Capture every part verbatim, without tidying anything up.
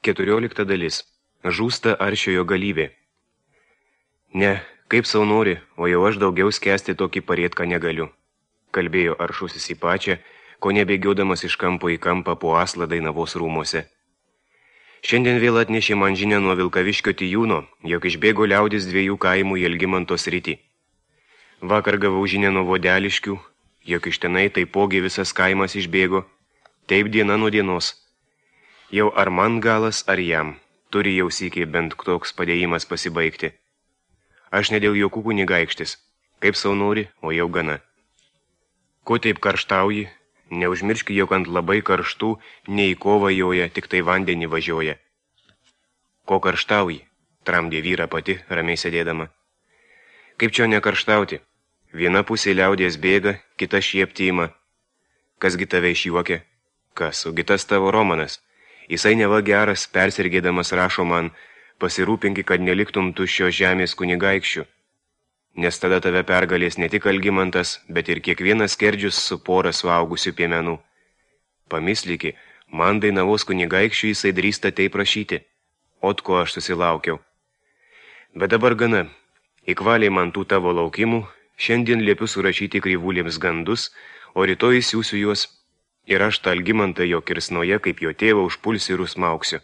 Keturiolikta dalis. Žūsta aršiojo galybė. Ne, kaip sau nori, o jau aš daugiau skęsti tokį parėtką negaliu. Kalbėjo aršusis į pačią, ko nebėgiodamas iš kampo į kampą po aslą Dainavos rūmuose. Šiandien vėl atnešė man žinią nuo Vilkaviškio Tijūno, jog išbėgo liaudis dviejų kaimų į Elgimanto sritį. Vakar gavau žinią nuo Vodeliškių, jog iš tenai taipogi visas kaimas išbėgo, taip diena nuo dienos. Jau ar man galas, ar jam, turi jau sykiai bent toks padėjimas pasibaigti. Aš ne dėl jokų kunigaikštis, kaip sau nori, o jau gana. Ko taip karštauji, neužmirški, jog ant labai karštų ne į kovą joja, tik tai vandenį važiuoja. Ko karštauji, tramdė vyra pati, ramiai sėdėdama. Kaip čia nekarštauti? Viena pusė liaudės bėga, kita šiepti ima. Kasgi tave išjuokia? Kas, o gitas tavo Romanas? Jisai neva geras, persirgėdamas rašo man, pasirūpinki, kad neliktum tuščios žemės kunigaikščių. Nes tada tave pergalės ne tik Algimantas, bet ir kiekvienas skerdžius su pora suaugusių piemenų. Pamislyki, man Dainavos kunigaikščių jisai drįsta taip prašyti. Ot ko aš susilaukiau. Bet dabar gana. Įkvaliai man tų tavo laukimų, šiandien liepiu surašyti kryvulėms gandus, o rytoj siūsiu juos. Ir aš tą Algimantą jo kirsnoje, kaip jo tėvą, užpulsiu ir užsmauksiu.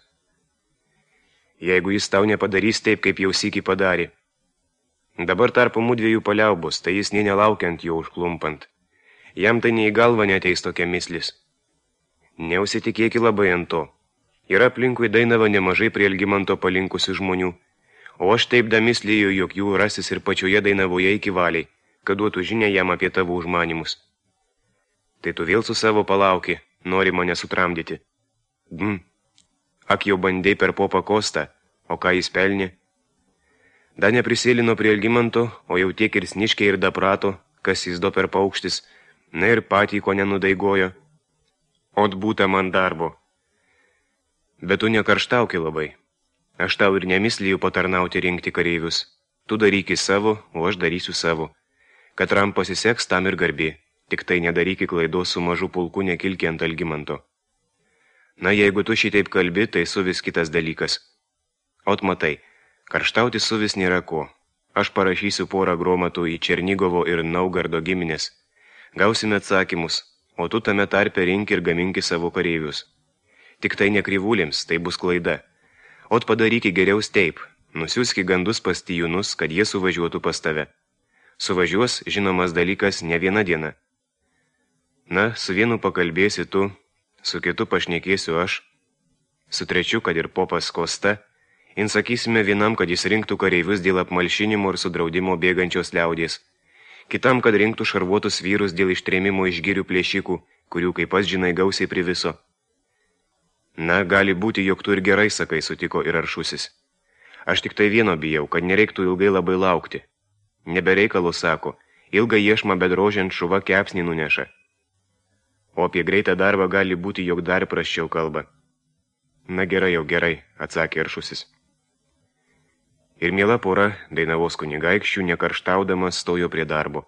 Jeigu jis tau nepadarys taip, kaip jau sykį padarė. Dabar tarpo mūdviejų paliaubos, tai jis nė nelaukiant jo užklumpant. Jam tai nei į galvą neteis tokia mislis. Neusitikėki labai ant to. Yra aplinkui Dainavą nemažai prie Algimanto palinkusių žmonių, o aš taip damislėjau, jog jų rasis ir pačioje Dainavoje iki valiai, kad duotų žinią jam apie tavo užmanimus. Tai tu vėl su savo palauki, nori mane sutramdyti. Hm, ak jau bandei per popą Kostą, o ką jis pelnė? Da neprisėlino prie Algimanto, o jau tiek ir sniškė ir daprato, kas jis do per paukštis, na ir patį ko nenudaigojo. Ot būta man darbo. Bet tu nekarštauki labai. Aš tau ir nemislijau patarnauti rinkti kareivius. Tu daryki savo, o aš darysiu savo. Katram pasiseks, tam ir garbė. Tik tai nedaryki klaidos su mažu pulku nekilki ant Algimanto. Na, jeigu tu šitaip kalbi, tai suvis kitas dalykas. Ot matai, karštauti suvis nėra ko. Aš parašysiu porą gromatų į Černigovo ir Naugardo giminės. Gausime atsakymus, o tu tame tarpe rink ir gaminki savo kareivius. Tik tai nekryvulėms, tai bus klaida. Ot padaryki geriau taip, nusiųski gandus pas Tijūnus, kad jie suvažiuotų pas tave. Suvažiuos, žinomas dalykas, ne viena diena. Na, su vienu pakalbėsi tu, su kitu pašnekėsiu aš, su trečiu, kad ir popas Kosta, in sakysime vienam, kad jis rinktų kareivius dėl apmalšinimo ir sudraudimo bėgančios liaudės, kitam, kad rinktų šarvuotus vyrus dėl ištrėmimo iš girių plėšikų, kurių, kaip pas žinai, gausiai priviso. Na, gali būti, jog tu ir gerai sakai, sutiko ir aršusis. Aš tik tai vieno bijau, kad nereiktų ilgai labai laukti. Nebereikalo sako, ilgą iešmą bedrožiant šuva kepsnį nuneša. O apie greitą darbą gali būti, jog dar prasčiau kalba. Na gerai jau gerai, atsakė aršusis. Ir miela pora, Dainavos kunigaikščių, nekarštaudamas stojo prie darbo.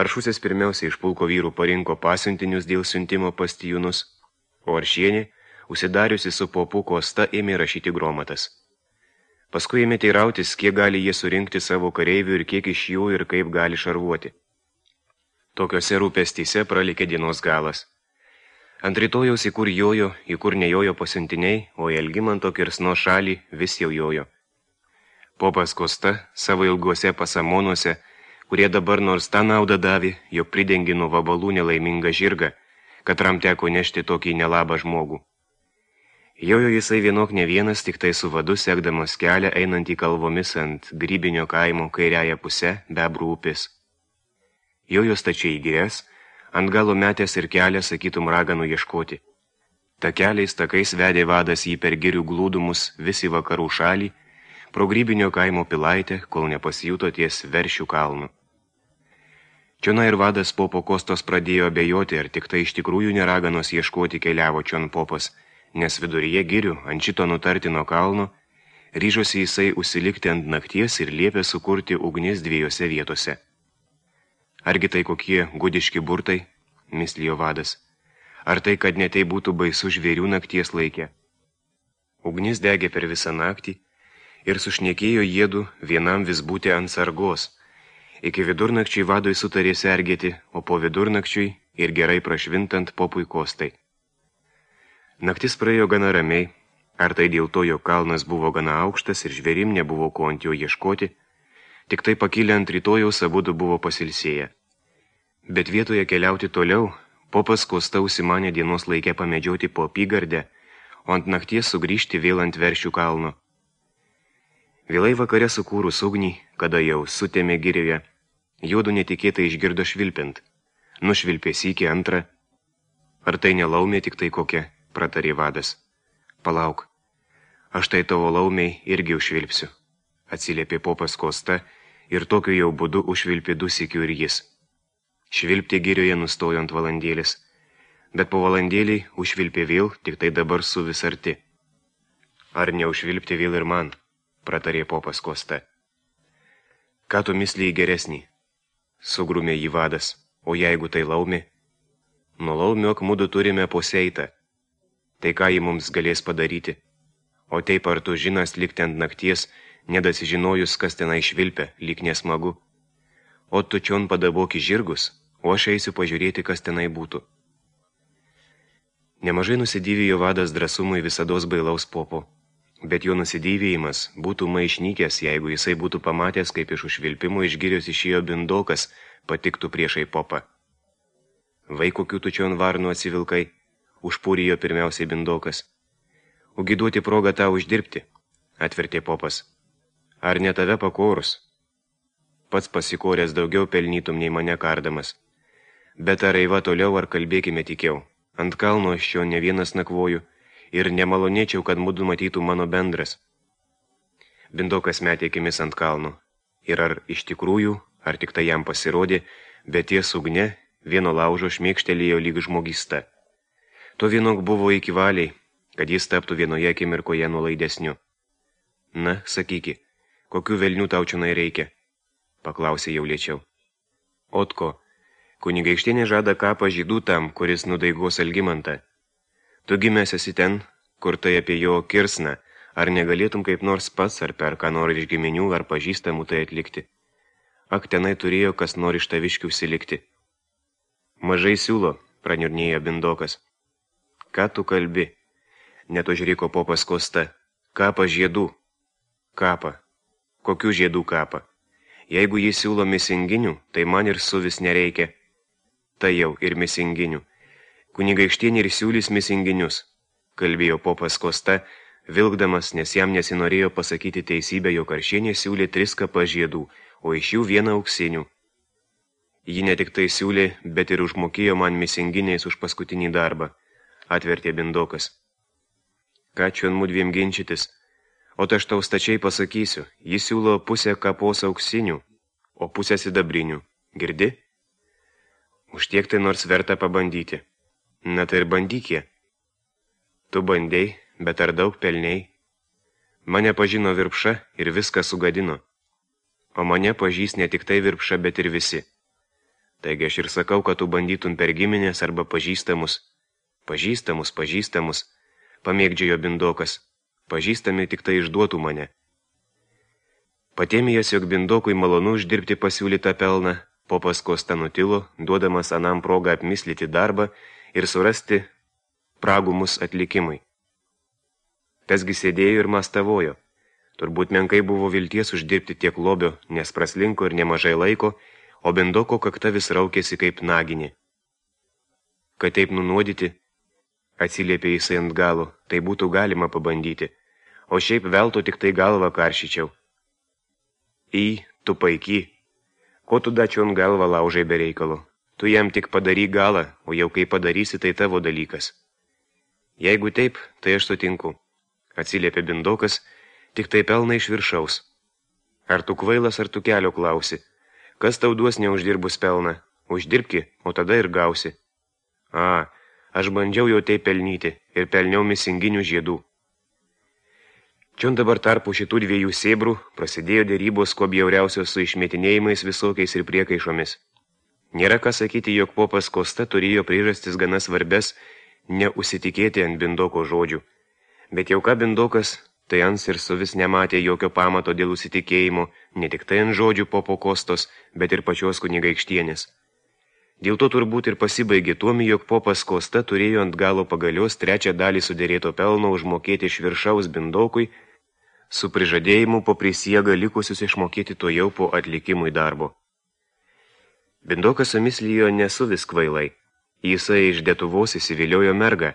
Aršusis pirmiausia iš pulko vyrų parinko pasiuntinius dėl siuntimo pas Tijūnus, o Aršienė, užsidariusi su popu Kosta, ėmė rašyti gromatas. Paskui ėmė teirautis, kiek gali jie surinkti savo kareivių ir kiek iš jų ir kaip gali šarvuoti. Tokiose rūpestyse pralikė dienos galas. Ant rytojaus į kur jojo, į kur nejojo pasiuntiniai, o į Algimanto kirsno šalį vis jau jojo. Popas Kosta savo ilguose pasamonuose, kurie dabar nors tą naudą davė, jog pridengi nuo vabalų nelaimingą žirgą, katram teko nešti tokį nelabą žmogų. Jojo jisai vienok ne vienas, tik tai su vadu sekdamas kelią einantį kalvomis ant Grybinio kaimo kairiąją pusę Bebrų upės. Jojo stačiai į girias, ant galo metęs ir kelią, sakytum, raganų ieškoti. Ta keliais takais vedė vadas jį per girių glūdumus vis į vakarų šalį, pro Grybinio kaimo pilaitę, kol nepasijuto ties Veršių kalnu. Čiona ir vadas popo Kostos pradėjo abejoti, ar tik tai iš tikrųjų neraganos ieškoti keliavo čion popas, nes viduryje girių, ant šito nutartino kalno, ryžosi jisai užsilikti ant nakties ir liepė sukurti ugnis dviejose vietose. Argi tai kokie gudiški burtai, mislijo vadas, ar tai, kad netai būtų baisu žvėrių nakties laikė. Ugnis degė per visą naktį ir sušnekėjo jėdu vienam vis būti ant sargos. Iki vidurnakčiai vadui sutarė sergėti, o po vidurnakčiui ir gerai prašvintant popui Kostai. Naktis praėjo gana ramiai, ar tai dėl to, jog kalnas buvo gana aukštas ir žvėrim nebuvo ko ant jo ieškoti, tik tai pakilę ant rytojaus abudu buvo pasilsėję. Bet vietoje keliauti toliau, popas Kosta užsimanė dienos laikę pamedžioti po apygardę, o ant nakties sugrįžti vėl ant Veršių kalno. Vėlai vakare sukūrus ugnį, kada jau sutėmė girioje, juodu netikėtai išgirdo švilpiant. Nušvilpė sykį antrą. Ar tai nelaumė tik tai kokia, pratarė vadas. Palauk, aš tai tavo laumiai irgi užšvilpsiu, atsiliepė popas Kosta ir tokiu jau būdu užšvilpė du sykių ir jis. Švilpti girioje nustojo ant valandėlis, bet po valandėlį užšvilpė vėl, tik tai dabar su vis arti. Ar neužšvilpti vėl ir man, pratarė popas Kosta. Ką tu misliai geresnį? Sugrumė jį vadas, o jeigu tai laumė? Nuo laumiok mudu turime poseitą. Tai ką jį mums galės padaryti? O taip ar tu žinas likti ant nakties, nedasižinojus, kas tenai švilpia, lyg nesmagu. O tu čion padaboki žirgus, o aš eisiu pažiūrėti, kas tenai būtų. Nemažai nusidėvėjo vadas drąsumui visados bailaus popo, bet jo nusidėvėjimas būtų maišnykęs, jeigu jisai būtų pamatęs, kaip iš užvilpimo iš girios išėjo bindokas, patiktų priešai popą. Vai kokių tu čion varnų atsivilkai, užpūrijo pirmiausiai bindokas. Ugi duoti progą tau uždirbti, atvertė popas. Ar ne tave pakorus? Pats pasikoręs daugiau pelnytum nei mane kardamas. Bet ar eiva toliau, ar kalbėkime tikiau. Ant kalno aš čia ne vienas nakvoju ir nemalonėčiau, kad mudu matytų mano bendras. Bindokas metė akimis ant kalno. Ir ar iš tikrųjų, ar tik tai jam pasirodė, bet ties ugne vieno laužo šmėkštelėjo lyg žmogysta. To vienok buvo iki valiai, kad jis taptų vienoje akimirkoje nuolaidesniu. Na, sakyki, kokių velnių tau čionai reikia? Paklausė jau lėčiau. Otko, kunigaikštienė žada kapą žydų tam, kuris nudaigos Algimantą. Tu gimęs esi ten, kur tai apie jo kirsną, ar negalėtum kaip nors pats, ar per ką nori iš giminių, ar pažįstamų tai atlikti. Ak, tenai turėjo kas nori iš taviškių užsilikti. Mažai siūlo, praniurnėjo bindokas. Ką tu kalbi? Net užriko popas Kosta. Kapą žiedų. Kapą. Kokių žiedų kapą? Jeigu jis siūlo misinginių, tai man ir suvis nereikia. Tai jau ir misinginių. Kunigaikštienė ir siūlys misinginius, kalbėjo popas Kosta, vilkdamas, nes jam nesinorėjo pasakyti teisybę, jog Karšienė siūlė tris kapą žiedų, o iš jų vieną auksinių. Ji ne tik tai siūlė, bet ir užmokėjo man misinginiais už paskutinį darbą, atvertė bindokas. Ką čion mudviem ginčytis? O aš tau stačiai pasakysiu, jis siūlo pusę kapos auksinių, o pusę sidabrinių. Girdi? Už tiek tai nors verta pabandyti. Na tai ir bandykie. Tu bandei, bet ar daug pelniai? Mane pažino Virpša ir viską sugadino. O mane pažys ne tik tai Virpša, bet ir visi. Taigi aš ir sakau, kad tu bandytum per giminės arba pažįstamus. Pažįstamus, pažįstamus, pamėgdžiojo bindokas. Pažįstami tik tai išduotų mane. Patėmėjęs, jog bindokui malonu uždirbti pasiūlytą pelną, popas Kosta nutilo, duodamas anam progą apmislyti darbą ir surasti pragumus atlikimui. Tasgi sėdėjo ir mastavojo. Turbūt menkai buvo vilties uždirbti tiek lobio, nes praslinko ir nemažai laiko, o bindoko kakta vis raukėsi kaip naginė. Kad taip nunuodyti, atsiliepė jisai ant galo, tai būtų galima pabandyti, o šiaip velto tik tai galvą karšyčiau. Į, tu paiky, ko tu dačion galvą laužai be reikalo? Tu jam tik padaryk galą, o jau kai padarysi, tai tavo dalykas. Jeigu taip, tai aš sutinku, atsiliepė bindokas, tik tai pelna iš viršaus. Ar tu kvailas, ar tu kelio klausi? Kas tau duos neuždirbus pelną? Uždirbki, o tada ir gausi. A, aš bandžiau jau tai pelnyti ir pelniau misinginių žiedų. Čion dabar tarpu šitų dviejų sėbrų prasidėjo dėrybos kuo bjauriausios su išmetinėjimais visokiais ir priekaišomis. Nėra ką sakyti, jog popas Kosta turėjo priežastis gana svarbes neužsitikėti ant bindoko žodžių, Bet jau ką Bindokas, tai ans ir suvis nematė jokio pamato dėl užsitikėjimo, ne tik tai ant žodžių popo Kostos, bet ir pačios kunigaikštienės. Dėl to turbūt ir pasibaigė tuomi, jog popas Kosta turėjo ant galo pagalios trečią dalį sudėrėto pelno užmokėti iš viršaus Bindokui, su prižadėjimu po prisiegą likusius išmokėti to jau po atlikimui darbo. Bindokas sumislijo nesuvis kvailai. Jisai iš Detuvos įsiviliojo mergą.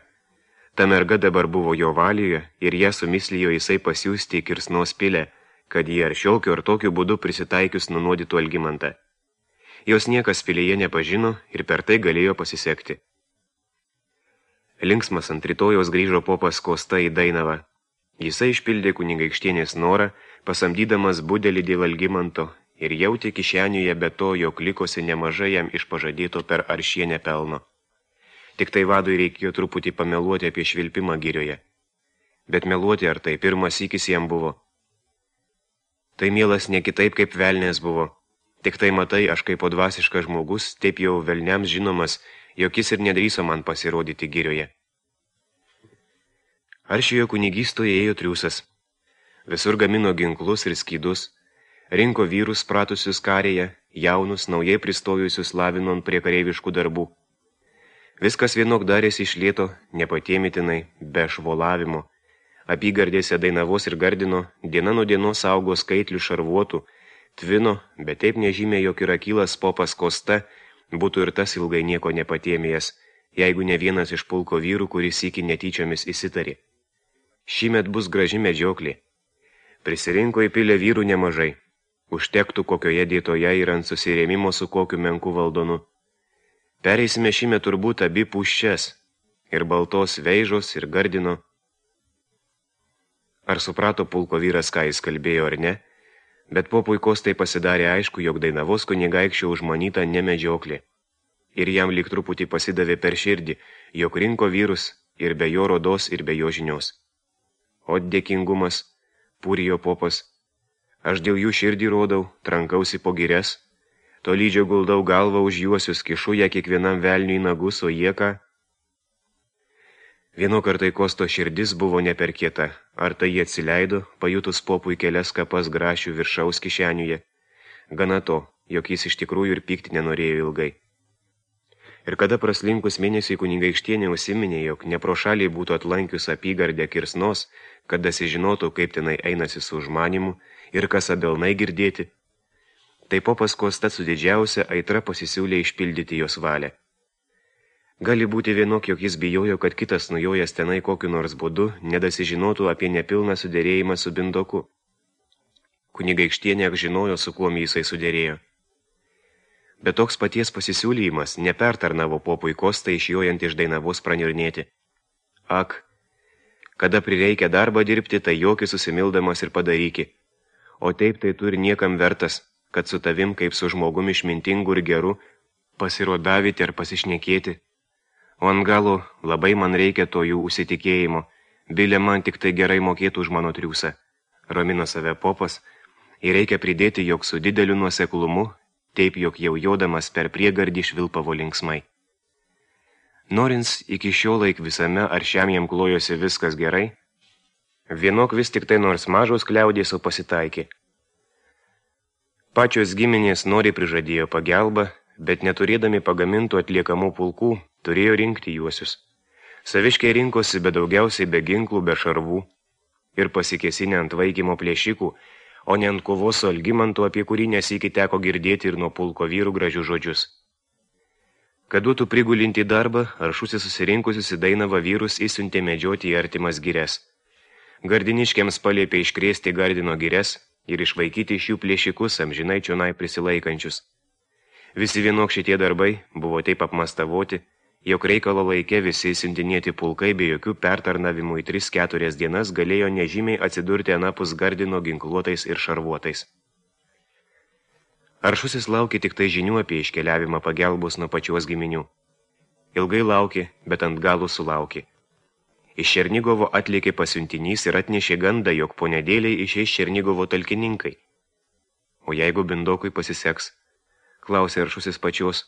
Ta merga dabar buvo jo valioje ir ją sumislijo jisai pasiųsti į Kirsnos pilę, kad jie ar šiokiu ar tokiu būdu prisitaikius nunuodytų Algimantą. Jos niekas pilyje nepažino ir per tai galėjo pasisekti. Linksmas ant rytojaus grįžo popas Kosta į Dainavą. Jisai išpildė kunigaikštienės norą, pasamdydamas budelį dėl Algimanto ir jautė kišeniuje be to, jog likosi nemažai jam iš pažadėto per aršienę pelno. Tik tai vadui reikėjo truputį pameluoti apie švilpimą girioje. Bet meluoti ar tai pirmas sykis jam buvo. Tai mielas ne kitaip kaip velnės buvo. Tik tai matai, aš kaip dvasiškas žmogus, taip jau velniams žinomas, jog jis ir nedrįso man pasirodyti girioje. Aršijo kunigystoje ėjo triūsas. Visur gamino ginklus ir skydus, rinko vyrus pratusius karėje, jaunus, naujai pristojusius lavinon prie kareiviškų darbų. Viskas vienok darėsi iš lėto, nepatėmitinai, be švolavimo. Apygardėse Dainavos ir Gardino diena nuo dienos augo skaitlių šarvuotų, tvino, bet taip nežymė, jog ir akylas popas Kosta būtų ir tas ilgai nieko nepatėmėjęs, jeigu ne vienas iš pulko vyrų, kuris iki netyčiomis įsitarė. Šįmet bus graži medžioklė. Prisirinko į pilę vyrų nemažai. Užtektų kokioje dėtoje ir ant susirėmimo su kokiu menku valdonu. Pereisime šįmet turbūt abi puščias, ir baltos Veižos, ir Gardino. Ar suprato pulko vyras, ką jis kalbėjo ar ne, bet popui Kostai pasidarė aišku, jog Dainavos kunigaikščio užmanyta ne medžioklė. Ir jam lyg truputį pasidavė per širdį, jog rinko vyrus ir be jo rodos, ir be jo žinios. O dėkingumas, pūrijo popas, aš dėl jų širdį rodau, trankausi po girias, tolydžio guldau galvą už juosius, kišu ją kiekvienam velniui nagus, o jie ką? Vieno kartai Kosto širdis buvo neperkieta, ar tai jie atsileido, pajutus popui kelias kapas grašių viršaus kišeniuje. Gana to, jog jis iš tikrųjų ir pykti nenorėjo ilgai. Ir kada praslinkus mėnesiui kunigaikštienė užsiminė, jog ne pro šaliai būtų atlankius apygardę Kirsnos, kad dasižinotų, kaip tenai einasi su užmanimu ir kas abelnai girdėti, tai popas Kosta su didžiausia aitra pasisiūlė išpildyti jos valią. Gali būti vienok, jog jis bijojo, kad kitas nujojęs tenai kokiu nors būdu nedasižinotų apie nepilną sudėrėjimą su Bindoku. Kunigaikštienė žinojo, su kuom jisai sudėrėjo. Bet toks paties pasisiūlymas nepertarnavo popui Kostai išjojant iš Dainavos pranirnėti. Ak, kada prireikia darbą dirbti, tai jokį susimildamas ir padaryki. O taip tai tu ir niekam vertas, kad su tavim kaip su žmogum išmintingu ir geru pasirodavyti ar pasišnekėti. O ant galo labai man reikia to jų užsitikėjimo, bilė man tik tai gerai mokėtų už mano triūsą. Ramino save popas ir reikia pridėti, jog su dideliu nuoseklumu, taip jog jau jodamas per priegardį švilpavo linksmai. Norins iki šio laik visame ar šiam jam klojosi viskas gerai, vienok vis tik tai nors mažos kliaudės, o pasitaikė. Pačios giminės nori prižadėjo pagelbą, bet neturėdami pagamintų atliekamų pulkų, turėjo rinkti juosius. Saviškiai rinkosi be daugiausiai be ginklų, be šarvų ir pasikėsinę ant vaikymo plėšikų, o ne ant kovos su Algimantu, apie kurį nesyki teko girdėti ir nuo pulko vyrų gražių žodžius. Kad duotų prigulinti darbą, Aršusis susirinkusius į Dainavą vyrus įsiuntė medžioti į artimas girias. Gardiniškiams paliepė iškrėsti Gardino girias ir išvaikyti iš jų plėšikus amžinai čionai prisilaikančius. Visi vienok šitie darbai buvo taip apmastavoti, jog reikalo laike visi siuntinėti pulkai be jokių pertarnavimų į tris keturias dienas galėjo nežymiai atsidurti anapus Gardino ginkluotais ir šarvuotais. Aršusis laukė tik tai žinių apie iškeliavimą pagelbos nuo pačios giminių. Ilgai laukė, bet ant galų sulaukė. Iš Černigovo atlėkė pasiuntinys ir atnešė gandą, jog po nedėliai išeis Černigovo talkininkai. O jeigu Bindokui pasiseks, klausė Aršusis pačios,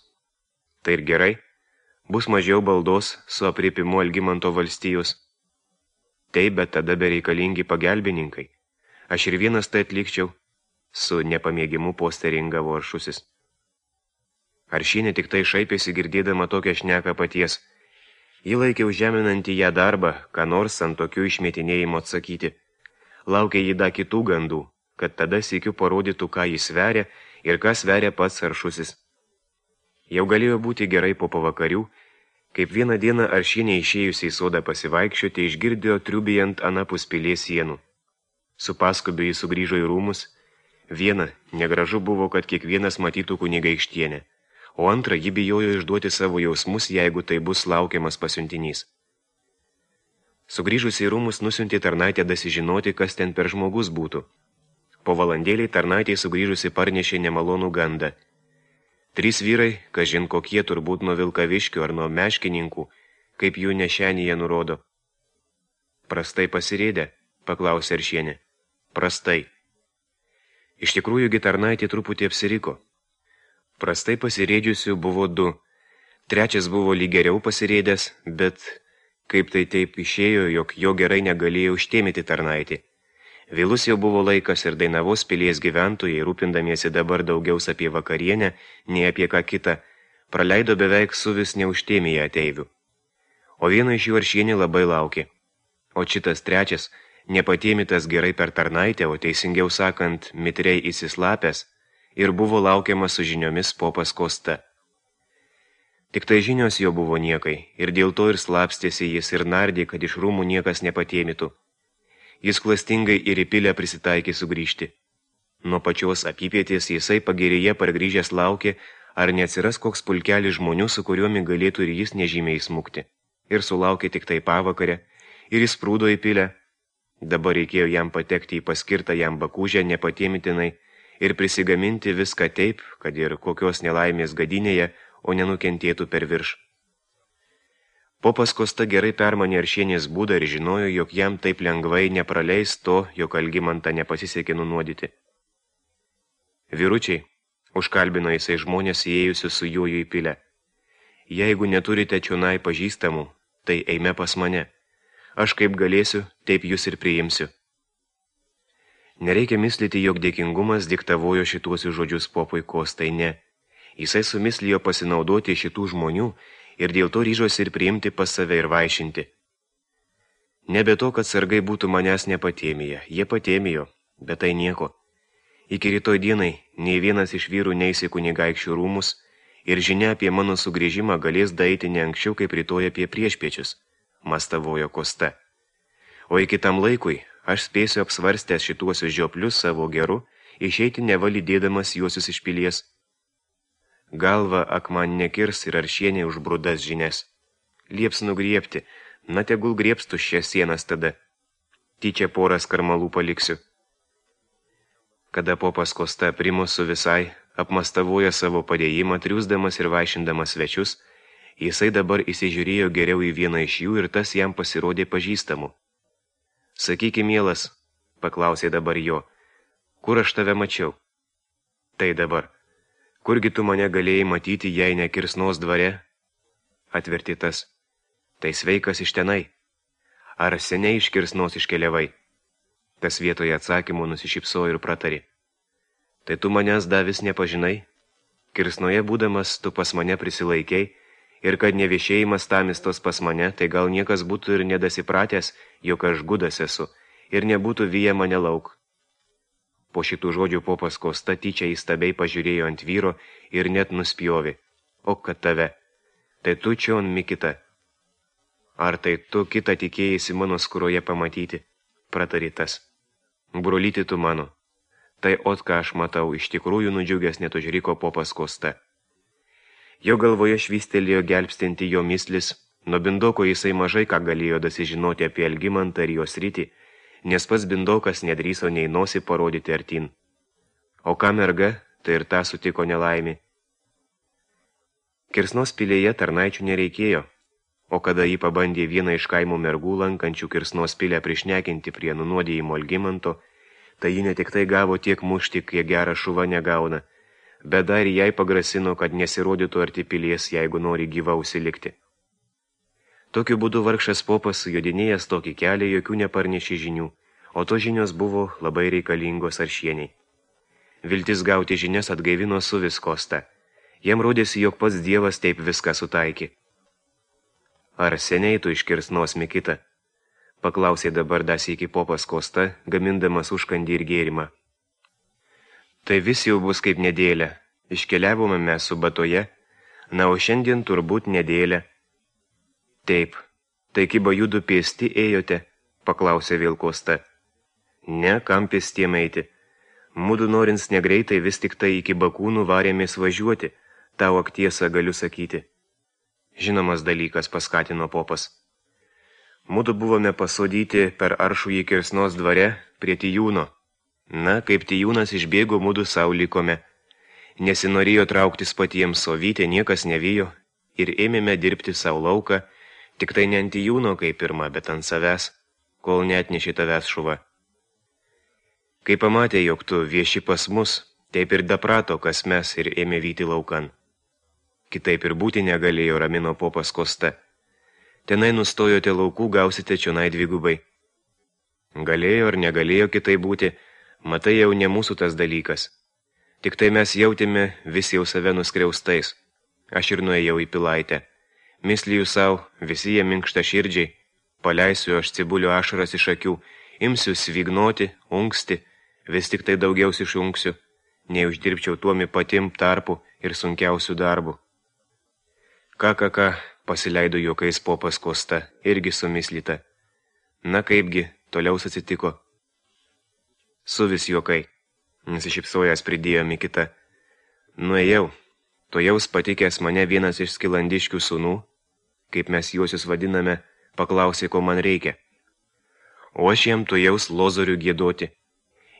tai ir gerai, bus mažiau baldos su apriepimu Algimanto valstijos. Taip, bet tada bereikalingi pagelbininkai. Aš ir vienas tai atlikčiau, su nepamėgimu posteringavo Aršusis. Aršienė tik tai šaipėsi girdėdama tokią šneką paties. Ji laikė užžeminantį ją darbą, ką nors ant tokių išmetinėjimo atsakyti. Laukė jį da kitų gandų, kad tada sykiu parodytų, ką jis sveria ir ką sveria pats Aršusis. Jau galėjo būti gerai po pavakarių, kaip vieną dieną Aršienė išėjusi į sodą pasivaikščioti išgirdėjo triubijant anapus pilies sienų. Su paskubiu jis sugrįžo į rūmus. Viena, negražu buvo, kad kiekvienas matytų kunigaikštienę, o antra, ji bijojo išduoti savo jausmus, jeigu tai bus laukiamas pasiuntinys. Sugrįžusi į rūmus nusiuntė tarnaitę dasižinoti, kas ten per žmogus būtų. Po valandėlį tarnaitė sugrįžusi parnešė nemalonų gandą. Trys vyrai, kažin kokie turbūt nuo Vilkaviškių ar nuo meškininkų, kaip jų nešenyje nurodo. Prastai pasirėdę, paklausė Aršienė. Prastai. Iš tikrųjų, tarnaitė truputį apsiriko. Prastai pasirėdžiusių buvo du. Trečias buvo lyg geriau pasirėdęs, bet kaip tai taip išėjo, jog jo gerai negalėjo užtėmyti tarnaitį. Vėlus jau buvo laikas ir Dainavos pilies gyventojai, rūpindamiesi dabar daugiaus apie vakarienę, nei apie ką kitą, praleido beveik su vis neužtėmėje ateivių. O vieno iš jų Aršienė labai laukė. O šitas trečias, nepatėmitas gerai per tarnaitę, o teisingiau sakant, mitriai įsislapęs, ir buvo laukiamas su žiniomis popas Kosta. Tik tai žinios jo buvo niekai, ir dėl to ir slapstėsi jis ir nardė, kad iš rūmų niekas nepatėmitų. Jis klastingai ir į pilę prisitaikė sugrįžti. Nuo pačios apypietės jisai pagėrėje pargrįžęs laukė, ar neatsiras koks pulkelis žmonių, su kuriuomi galėtų ir jis nežymiai smukti. Ir sulaukė tik tai pavakarę, ir jis prūdo į pilę. Dabar reikėjo jam patekti į paskirtą jam bakūžę nepatėmitinai ir prisigaminti viską taip, kad ir kokios nelaimės gadinėje, o nenukentėtų per virš. Popas Kosta gerai permanė Aršienės būdą ir žinojo, jog jam taip lengvai nepraleis to, jog Algimantą nepasisekė nunuodyti. Vyručiai, užkalbino jisai žmonės įėjusius su juoju į pilę. Jeigu neturite čionai pažįstamų, tai eime pas mane. Aš kaip galėsiu, taip jūs ir priimsiu. Nereikia mislyti, jog dėkingumas diktavojo šituosius žodžius popui Kostai, ne. Jisai sumislijo pasinaudoti šitų žmonių ir dėl to ryžosi ir priimti pas save ir vaišinti. Nebe to, kad sargai būtų manęs nepatėmėję, jie patėmėjo, bet tai nieko. Iki rytoj dienai nei vienas iš vyrų neis į kunigaikščių rūmus ir žinia apie mano sugrįžimą galės daeiti ne anksčiau kaip rytoj apie priešpiečius, mastavojo Kosta. O iki tam laikui aš spėsiu apsvarstęs šituosius žioplius savo geru, išeiti nevalydėdamas juosius iš pilies. Galva akman nekirs ir Aršienė už brudas žinias. Lieps nugriebti, na tegul griebs tuščias sienas tada. Tyčia porą skarmalų paliksiu. Kada popas Kosta primus su visai, apmastavoja savo padėjimą, triūsdamas ir vaišindamas svečius, jisai dabar įsižiūrėjo geriau į vieną iš jų ir tas jam pasirodė pažįstamu. Sakyki, mielas, paklausė dabar jo, kur aš tave mačiau? Tai dabar, kurgi tu mane galėjai matyti, jei ne Kirsnos dvare? Atverti tas, tai sveikas iš tenai. Ar seniai iš Kirsnos iškeliavai? Tas vietoje atsakymų nusišypsojo ir pratarė. Tai tu manęs davis nepažinai? Kirsnoje būdamas tu pas mane prisilaikiai, ir kad neviešėjimas tamistos pas mane, tai gal niekas būtų ir nedasipratęs, jog aš gudas esu, ir nebūtų vyję mane lauk. Po šitų žodžių popas Kosta tyčia įstabiai pažiūrėjo ant vyro ir net nuspjovė. O kad tave, tai tu čion Mikita. Ar tai tu kitą tikėjasi mano skuroje pamatyti? Pratarė tas. Brolyti tu mano. Tai ot ką aš matau, iš tikrųjų nudžiugęs net užriko popas Kosta. Jo galvoje švystelėjo gelbstinti jo mislis, nuo Bindoko jisai mažai ką galėjo dasižinoti apie Algimantą ir jos rytį, nes pats Bindokas nedrįso nei nosį parodyti artin. O ką merga, tai ir tą sutiko nelaimė. Kirsnos pilėje tarnaičių nereikėjo, o kada jį pabandė vieną iš kaimų mergų lankančių Kirsnos pilę prišnekinti prie nunuodėjimo Algimanto, tai ji ne tik tai gavo tiek mušti, kiek gerą šuva negauna, bet dar jai pagrasino, kad nesirodytų arti pilies, jeigu nori gyva užsilikti. Tokiu būdu vargšas popas sujodinėjęs tokį kelią jokių neparnešė žinių, o to žinios buvo labai reikalingos Aršieniai. Viltis gauti žinias atgaivino Suvis Kostą. Jam rodėsi, jog pats Dievas taip viską sutaikė. Ar seniai tu iškirs nosmi kitą? Paklausė dabar dasykį popas Kosta, gamindamas užkandį ir gėrimą. Tai vis jau bus kaip nedėlė. Iškeliavome mes su batoje, na, o šiandien turbūt nedėlė. Taip, tai kiba judu pėsti ėjote, paklausė vėl Kosta. Ne, kam pėstiem eiti. Mudu norins negreitai vis tik tai iki Bakūnų varėmės važiuoti, tau ak tiesą galiu sakyti. Žinomas dalykas, paskatino popas. Mudu buvome pasodyti per Aršųjį Kirsnos dvare prie Tijūno. Na, kaip Tijūnas išbėgo, mudu sau likome. Nesinorėjo trauktis patiems, o Vytė niekas nevijo ir ėmėme dirbti sau lauką, tik tai ne ant Tijūno kaip pirma, bet ant savęs, kol neatnešė tavęs šuva. Kai pamatė, jog tu vieši pas mus, taip ir daprato, kas mes, ir ėmė vyti laukan. Kitaip ir būti negalėjo, ramino popas Kosta. Tenai nustojote laukų, gausite čionai dvigubai. Galėjo ar negalėjo kitai būti, matai jau ne mūsų tas dalykas. Tik tai mes jautėme vis jau save nuskriaustais. Aš ir nuėjau į Pilaitę. Mislijų savo, visi jie minkšta širdžiai. Paleisiu aš cibulio ašaras iš akių, imsiu svignoti, unksti, vis tik tai daugiausiai išunksiu, nei uždirbčiau tuomi patim tarpu ir sunkiausių darbų. Ką, ką, ką, pasileido juokais popas Kosta, irgi sumislita. Na kaipgi, toliau atsitiko. Suvis juokai, nusišypsojęs pridėjo Mikita. Nuėjau, to jaus patikęs mane vienas iš skilandiškių sūnų, kaip mes juosius vadiname, paklausė, ko man reikia. O aš jam to jaus lozorių giedoti.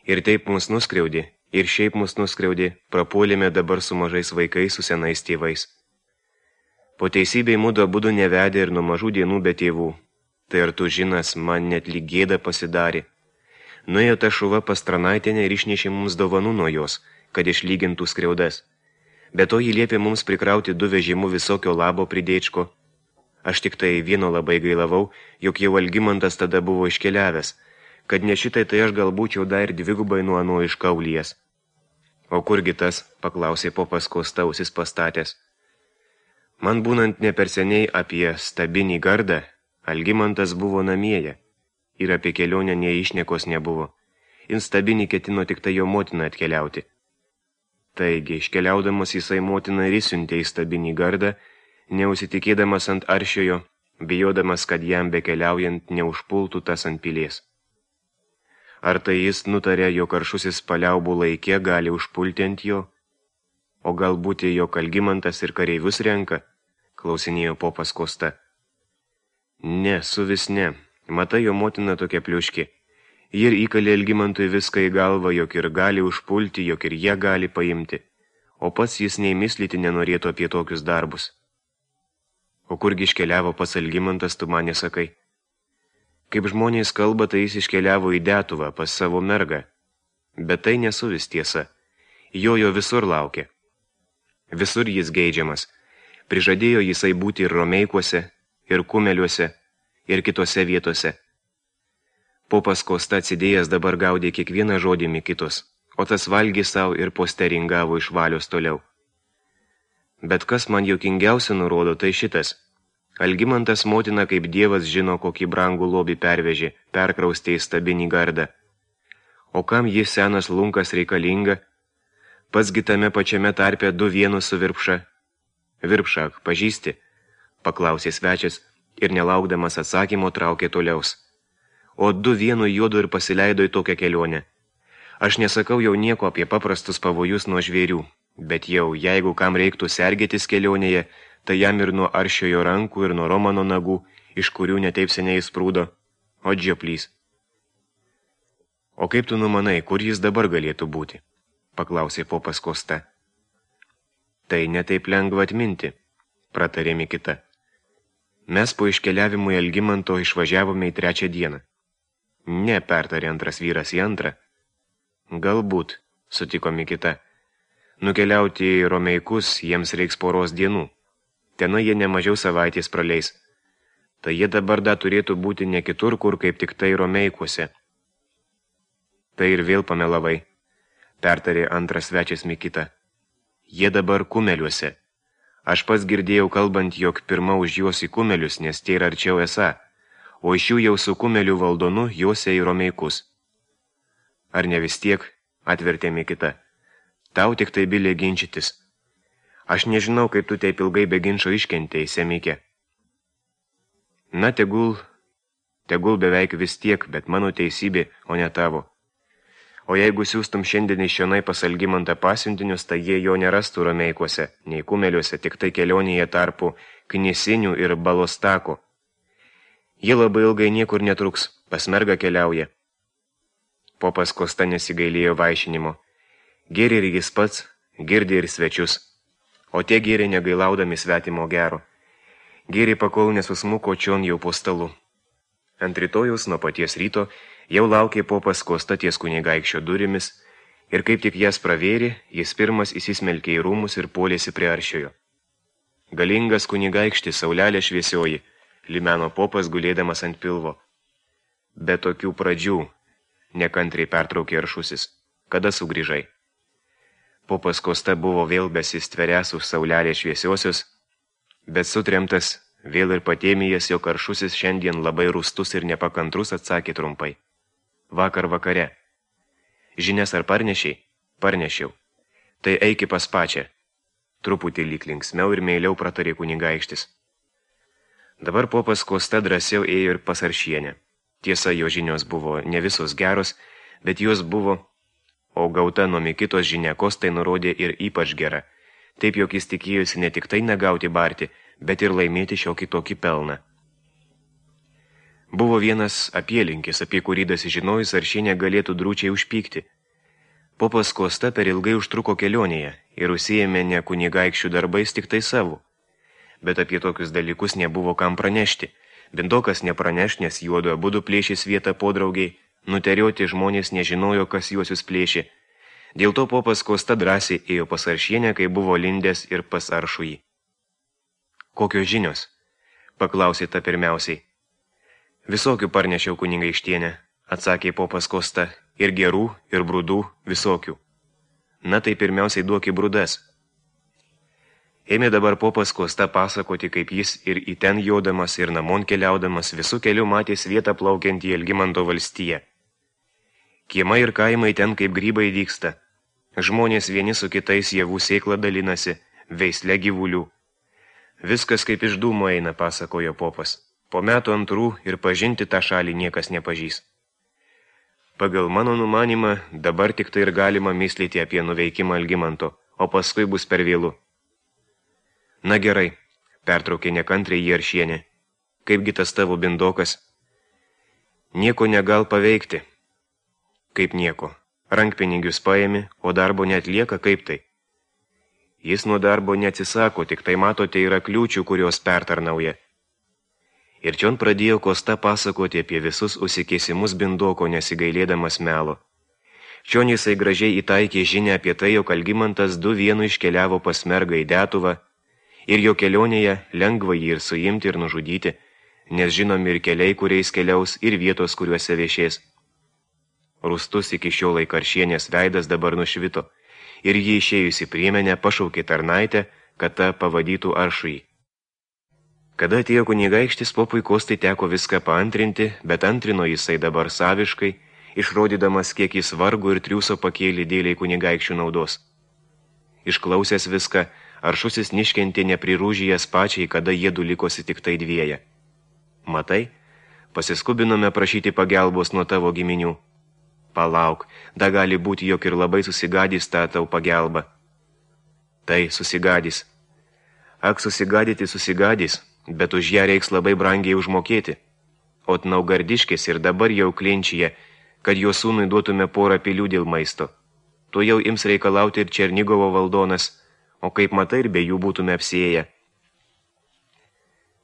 Ir taip mus nuskriaudė, ir šiaip mus nuskriaudė, prapuolėme dabar su mažais vaikais, su senais tėvais. Po teisybei mudu abudu nevedė ir nuo mažų dienų be tėvų. Tai ar tu žinas, man net lyg gėda pasidarė. Nuėjo ta šuva pas Tranaitienę ir išnešė mums dovanų nuo jos, kad išlygintų skriaudas. Be to jį liepė mums prikrauti du vežimų visokio labo pridėčko. Aš tik tai vieno labai gailavau, jog jau Algimantas tada buvo iškeliavęs, kad ne šitai tai aš gal būčiau dar dvigubai nuo ano iš Kaulyjas. O kurgi tas, paklausė popas Kosta ausis pastatęs. Man būnant ne per seniai apie Stabinį gardą, Algimantas buvo namieje ir apie kelionę neišnekos nebuvo. In Stabinį ketino tik tai jo motina atkeliauti. Taigi, iškeliaudamas jisai motina ir įsiuntė į Stabinį gardą, neusitikėdamas ant Aršiojo, bijodamas, kad jam bekeliaujant neužpultų tas ant pilies. Ar tai jis nutarė, jog Aršusis paliaubų laikė gali užpulti ant jo? O galbūt jog Algimantas ir kareivius renka? Klausinėjo popas Kosta. Ne, Suvis ne. Matai, jo motina tokia pliuški. Ji ir įkalė Algimantui viską į galvą, jog ir gali užpulti, jog ir jie gali paimti. O pats jis nei mislyti nenorėtų apie tokius darbus. O kurgi iškeliavo pas Algimantas, tu man nesakai? Kaip žmonės kalba, tai jis iškeliavo į Detuvą pas savo mergą. Bet tai nesuvis tiesa. Jo jo visur laukia. Visur jis geidžiamas. Prižadėjo jisai būti ir Romeikuose, ir Kumeliuose, ir kitose vietose. Popas Kosta atsidėjęs dabar gaudė kiekvieną žodį Mikitos, o tas valgė savo ir posteringavo iš valios toliau. Bet kas man juokingiausia nurodo, tai šitas. Algimantas motina kaip Dievas žino, kokį brangų lobį pervežė, perkraustė į Stabinį gardą. O kam jis senas lunkas reikalinga? Pasgi tame pačiame tarpe du vienus su Virpša. Virpšak, pažįsti? Paklausė svečias ir nelaukdamas atsakymo traukė toliaus. O du vienu juodu ir pasileido į tokią kelionę. Aš nesakau jau nieko apie paprastus pavojus nuo žvėrių, bet jau, jeigu kam reiktų sergėtis kelionėje, tai jam ir nuo Aršiojo rankų, ir nuo Romano nagų, iš kurių netaip seniai sprūdo, o džioplys. O kaip tu numanai, kur jis dabar galėtų būti? Paklausė popas Kosta. Tai netaip lengva atminti, pratarė Mikita. Mes po iškeliavimo į Algimanto išvažiavome į trečią dieną. Ne, pertarė antras vyras į antrą. Galbūt, sutiko Mikita. Nukeliauti į Romeikus jiems reiks poros dienų. Tenai jie nemažiau savaitės praleis. Tai jie dabar dar turėtų būti ne kitur, kur kaip tik tai Romeikuose. Tai ir vėl pamelavai, pertarė antras svečias Mikita. Jie dabar Kumeliuose. Aš pats girdėjau kalbant, jog pirma už juos į Kumelius, nes tai yra arčiau esą, o iš jų jau su Kumelių valdonu juose į Romeikus. Ar ne vis tiek, atvertė Mikita, tau tik tai bilė ginčytis. Aš nežinau, kaip tu taip ilgai be ginčo iškentėjai, Semikė. Na, tegul, tegul beveik vis tiek, bet mano teisybė, o ne tavo. O jeigu siūstum šiandien iš šionai pas Algimantą pasiuntinius, tai jie jo nerastų Romeikuose, nei Kumeliuose, tik tai kelionėje tarpu Knisinių ir Balostako. Jie labai ilgai niekur netruks, pas mergą keliauja. Popas Kosta nesigailėjo vaišinimo. Gėrė ir jis pats, girdė ir svečius. O tie gėrė negailaudami svetimo gero. Gėrė pakol nesusmuko čion jau po stalu. Ant rytojus nuo paties ryto jau laukė popas Kosta ties kunigaikščio durimis ir kaip tik jas pravėrė, jis pirmas įsismelkė į rūmus ir puolėsi prie aršiojo. Galingas kunigaikštis, saulelė šviesioji, limeno popas gulėdamas ant pilvo. Be tokių pradžių, nekantriai pertraukė aršusis, kada sugrįžai. Popas Kosta buvo vėl besistveręs už saulelė šviesiosios, bet sutremtas, vėl ir patėmijas, jog aršusis šiandien labai rūstus ir nepakantrus, atsakė trumpai. Vakar vakare. Žinias ar parnešiai? Parnešiau. Tai eiki pas pačią. Truputį lyg linksmiau ir meiliau pratarė kunigaikštis. Dabar popas Kosta drąsiau ėjo ir pas Aršienę. Tiesa, jo žinios buvo ne visos geros, bet jos buvo, o gauta nuo Mikitos žinia Kostai nurodė ir ypač gera. Taip, jog jis tikėjosi ne tik tai negauti barti, bet ir laimėti šiokį tokį pelną. Buvo vienas apielinkis, apie kurį dasižinojus Aršienė galėtų drūčiai užpykti. Popas Kosta per ilgai užtruko kelionėje ir užsiėmė ne kunigaikščių darbais tik tai savo. Bet apie tokius dalykus nebuvo kam pranešti. Bindokas nepraneš, nes juodu abudu plėšės vietą podraugiai, nuterioti žmonės nežinojo, kas juosius plėšė. Dėl to popas Kosta drąsiai ėjo pas Aršienę, kai buvo lindęs ir pas Aršųjį. Kokios žinios? Paklausė ta pirmiausiai. Visokių parnešiau kunigaikštienę, atsakė popas Kosta, ir gerų, ir brudų, visokių. Na tai pirmiausiai duoki brudas. Ėmė dabar popas Kosta pasakoti, kaip jis ir į ten jodamas ir namon keliaudamas visų kelių matės vietą plaukiant į Algimanto valstiją. Kiemai ir kaimai ten kaip grybai vyksta. Žmonės vieni su kitais javų sėklą dalinasi, veisle gyvulių. Viskas kaip iš dūmo eina, pasakojo popas. Po metų antrų ir pažinti tą šalį niekas nepažys. Pagal mano numanimą, dabar tik tai ir galima myslyti apie nuveikimą Algimanto, o paskui bus per vėlu. Na gerai, pertraukė nekantriai jį Aršienė. Kaipgi tas tavo bindokas? Nieko negal paveikti. Kaip nieko. Rankpinigius paėmė, o darbo neatlieka, kaip tai? Jis nuo darbo neatsisako, tik tai matote yra kliūčių, kurios pertarnauja. Ir čion pradėjo Kosta pasakoti apie visus užsikėsimus bindoko, nesigailėdamas melo. Čion jisai gražiai įtaikė žinią apie tai, jog Algimantas du vienu iškeliavo pas mergą į Detuvą, ir jo kelionėje lengva jį ir suimti ir nužudyti, nes žinomi ir keliai, kuriais keliaus, ir vietos, kuriuose viešės. Rūstus iki šiol laik Aršienės veidas dabar nušvito, ir jį išėjusi priemenę pašaukė tarnaitę, kad ta pavadytų Aršųjį. Kada atėjo kunigaikštis, popui Kostai teko viską paantrinti, bet antrino jisai dabar saviškai, išrodydamas, kiek jis vargo ir triūso pakėlė dėliai kunigaikščių naudos. Išklausęs viską, Aršusis niškentė neprirūžijęs pačiai, kada jiedu likosi tik tai dvieja. Matai, pasiskubinome prašyti pagelbos nuo tavo giminių. Palauk, da gali būti, jog ir labai susigadys tą tau pagelbą. Tai susigadys. Ak, susigadyti susigadys, bet už ją reiks labai brangiai užmokėti. O Naugardiškis ir dabar jau klinčyje, kad jo sūnui duotume porą pilių dėl maisto. Tu jau ims reikalauti ir Černigovo valdonas, o kaip matai ir be jų būtume apsėję.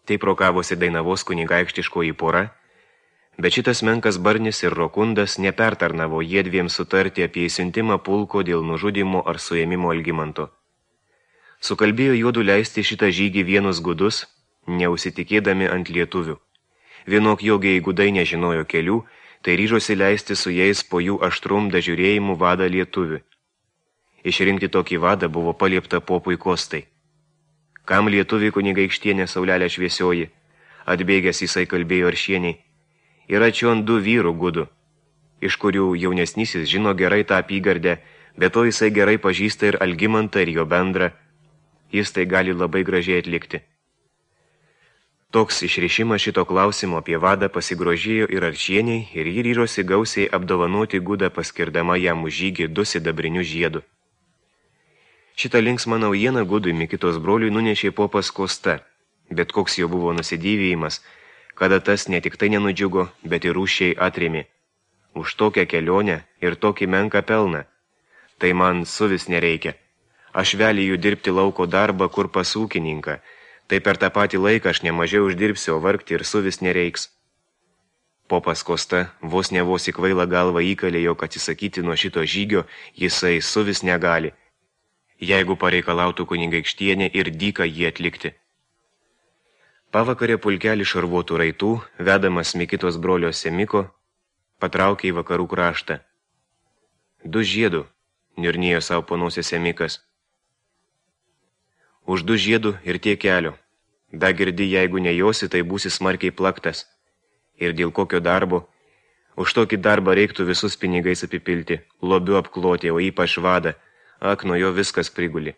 Taip rokavosi Dainavos kunigaikštiškoji pora, bet šitas menkas Barnis ir Rokundas nepertarnavo jiedviem sutarti apie įsiuntimą pulko dėl nužudimo ar suėmimo Algimanto. Sukalbėjo juodu leisti šitą žygį vienus gudus, neusitikėdami ant lietuvių. Vienok jogiai gudai nežinojo kelių, tai ryžosi leisti su jais po jų aštrum dažiūrėjimų vadą lietuvių. Išrinkti tokį vadą buvo paliepta popui Kostai. Kam lietuviai kunigaikštienė Saulelė šviesioji, atbėgęs jisai kalbėjo Aršieniai, yra čion du vyrų gudų, iš kurių jaunesnysis žino gerai tą apygardę, bet to jisai gerai pažįsta ir Algimantą ir jo bendrą, jis tai gali labai gražiai atlikti. Toks išrišimas šito klausimo apie vadą pasigrožėjo ir Aršieniai ir jį ryžosi gausiai apdovanoti gudą paskirdama jam už žygį du sidabrinių žiedų. Šitą linksmą naujieną gudui Mikitos broliui nunešė popas Kosta, bet koks jo buvo nusidėvėjimas, kada tas ne tik tai nenudžiugo, bet ir rūšiai atrėmė. Už tokią kelionę ir tokį menką pelną. Tai man suvis nereikia. Aš veliju dirbti lauko darbą, kur pas ūkininką. Tai per tą patį laiką aš nemažiau uždirbsiu, o vargti ir suvis nereiks. Popas Kosta vos ne vos į kvailą galvą įkalė, jog atsisakyti nuo šito žygio jisai suvis negali, jeigu pareikalautų kunigaikštienė ir dyką jį atlikti. Pavakarė pulkelį šarvuotų raitų, vedamas Mikitos brolio Semiko, patraukė į vakarų kraštą. Du žiedų, niurnėjo savo ponosė Semikas. Už du žiedų ir tiek kelio. Da girdi, jeigu nejosi, tai būsi smarkiai plaktas. Ir dėl kokio darbo? Už tokį darbą reiktų visus pinigais apipilti, lobiu apkloti, o ypač vadą. Ak, nuo jo viskas priguli.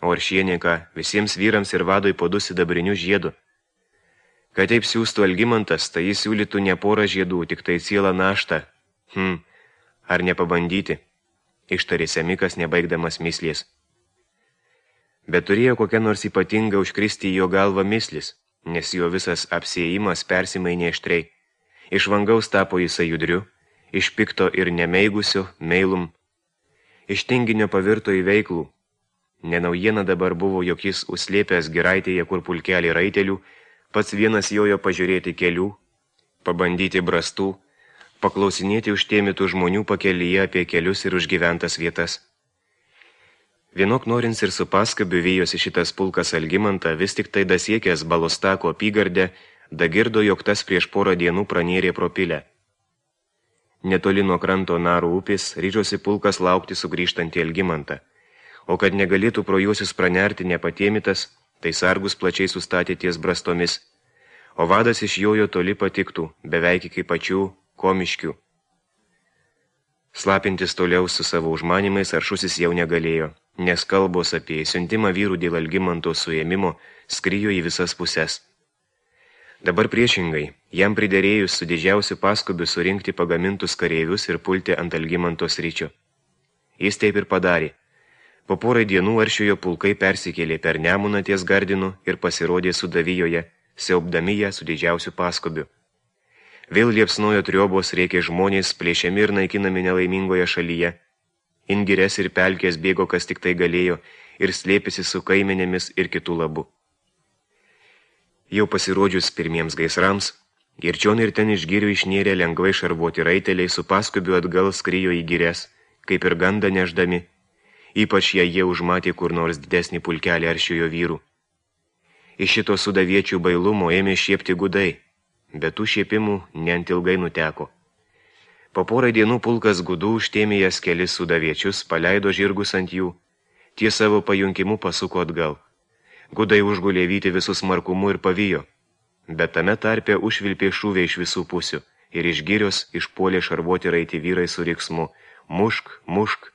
O Aršienė ką, visiems vyrams ir vadui po du sidabrinių žiedų. Kad taip siūstų Algimantas, tai jis siūlytų ne porą žiedų, tik tai cielą naštą. Hm, ar nepabandyti? Ištarė Semikas, nebaigdamas mislės. Bet turėjo kokia nors ypatinga užkristi į jo galvą mislis, nes jo visas apsėjimas persimainė aštriai. Iš vangaus tapo jisai judriu, iš pikto ir nemeigusio meilum. Iš tinginio pavirto į veiklų. Nenaujiena dabar buvo, jog jis užslėpęs giraitėje, kur pulkelį raitelių, pats vienas jojo pažiūrėti kelių, pabandyti brastų, paklausinėti užtėmitų žmonių pakelyje apie kelius ir užgyventas vietas. Vienok norins ir su paskabiu vyjosi šitas pulkas Algimantą, vis tik tai dasiekęs Balostako apygardę, dagirdo, jog tas prieš porą dienų pranėrė pro pilę. Netoli nuo kranto Narų upės ryžosi pulkas laukti sugrįžtantį Algimantą, o kad negalėtų pro juosius pranerti nepatėmitas, tai sargus plačiai sustatė ties brastomis, o vadas iš jojo toli patiktų, beveik iki pačių komiškių. Slapintis toliau su savo užmanimais Aršusis jau negalėjo, nes kalbos apie siuntimą vyrų dėl Algimanto suėmimo skrijo į visas puses. Dabar priešingai, jam priderėjus su didžiausiu paskubiu surinkti pagamintus kareivius ir pulti ant Algimanto sryčio. Jis taip ir padarė. Po porai dienų Aršiojo pulkai persikėlė per Nemuną ties Gardinu ir pasirodė Sudavijoje, siaubdami ją su didžiausiu paskubiu. Vėl liepsnojo triobos, rėkė žmonės, plėšiami ir naikinami nelaimingoje šalyje. Ingires ir pelkės bėgo, kas tik tai galėjo, ir slėpėsi su kaimenėmis ir kitų labų. Jau pasirodžius pirmiems gaisrams, ir čion ir ten iš girių išnėrė lengvai šarvuoti raiteliai, su paskubiu atgal skrijo į gires, kaip ir gandą neždami, ypač jei jie užmatė kur nors didesnį pulkelį Aršiojo vyrų. Iš šito sudaviečių bailumo ėmė šiepti gudai, bet tų šiepimų neant ilgai nuteko. Po porai dienų pulkas gudų užtėmė jas kelis sudaviečius, paleido žirgus ant jų, tie savo pajunkimu pasuko atgal. Gudai užgulė vyti visus markumu ir pavijo, bet tame tarpe užvilpė šūvė iš visų pusių ir iš girios išpuolė šarvuoti raiti vyrai su riksmu mušk, mušk.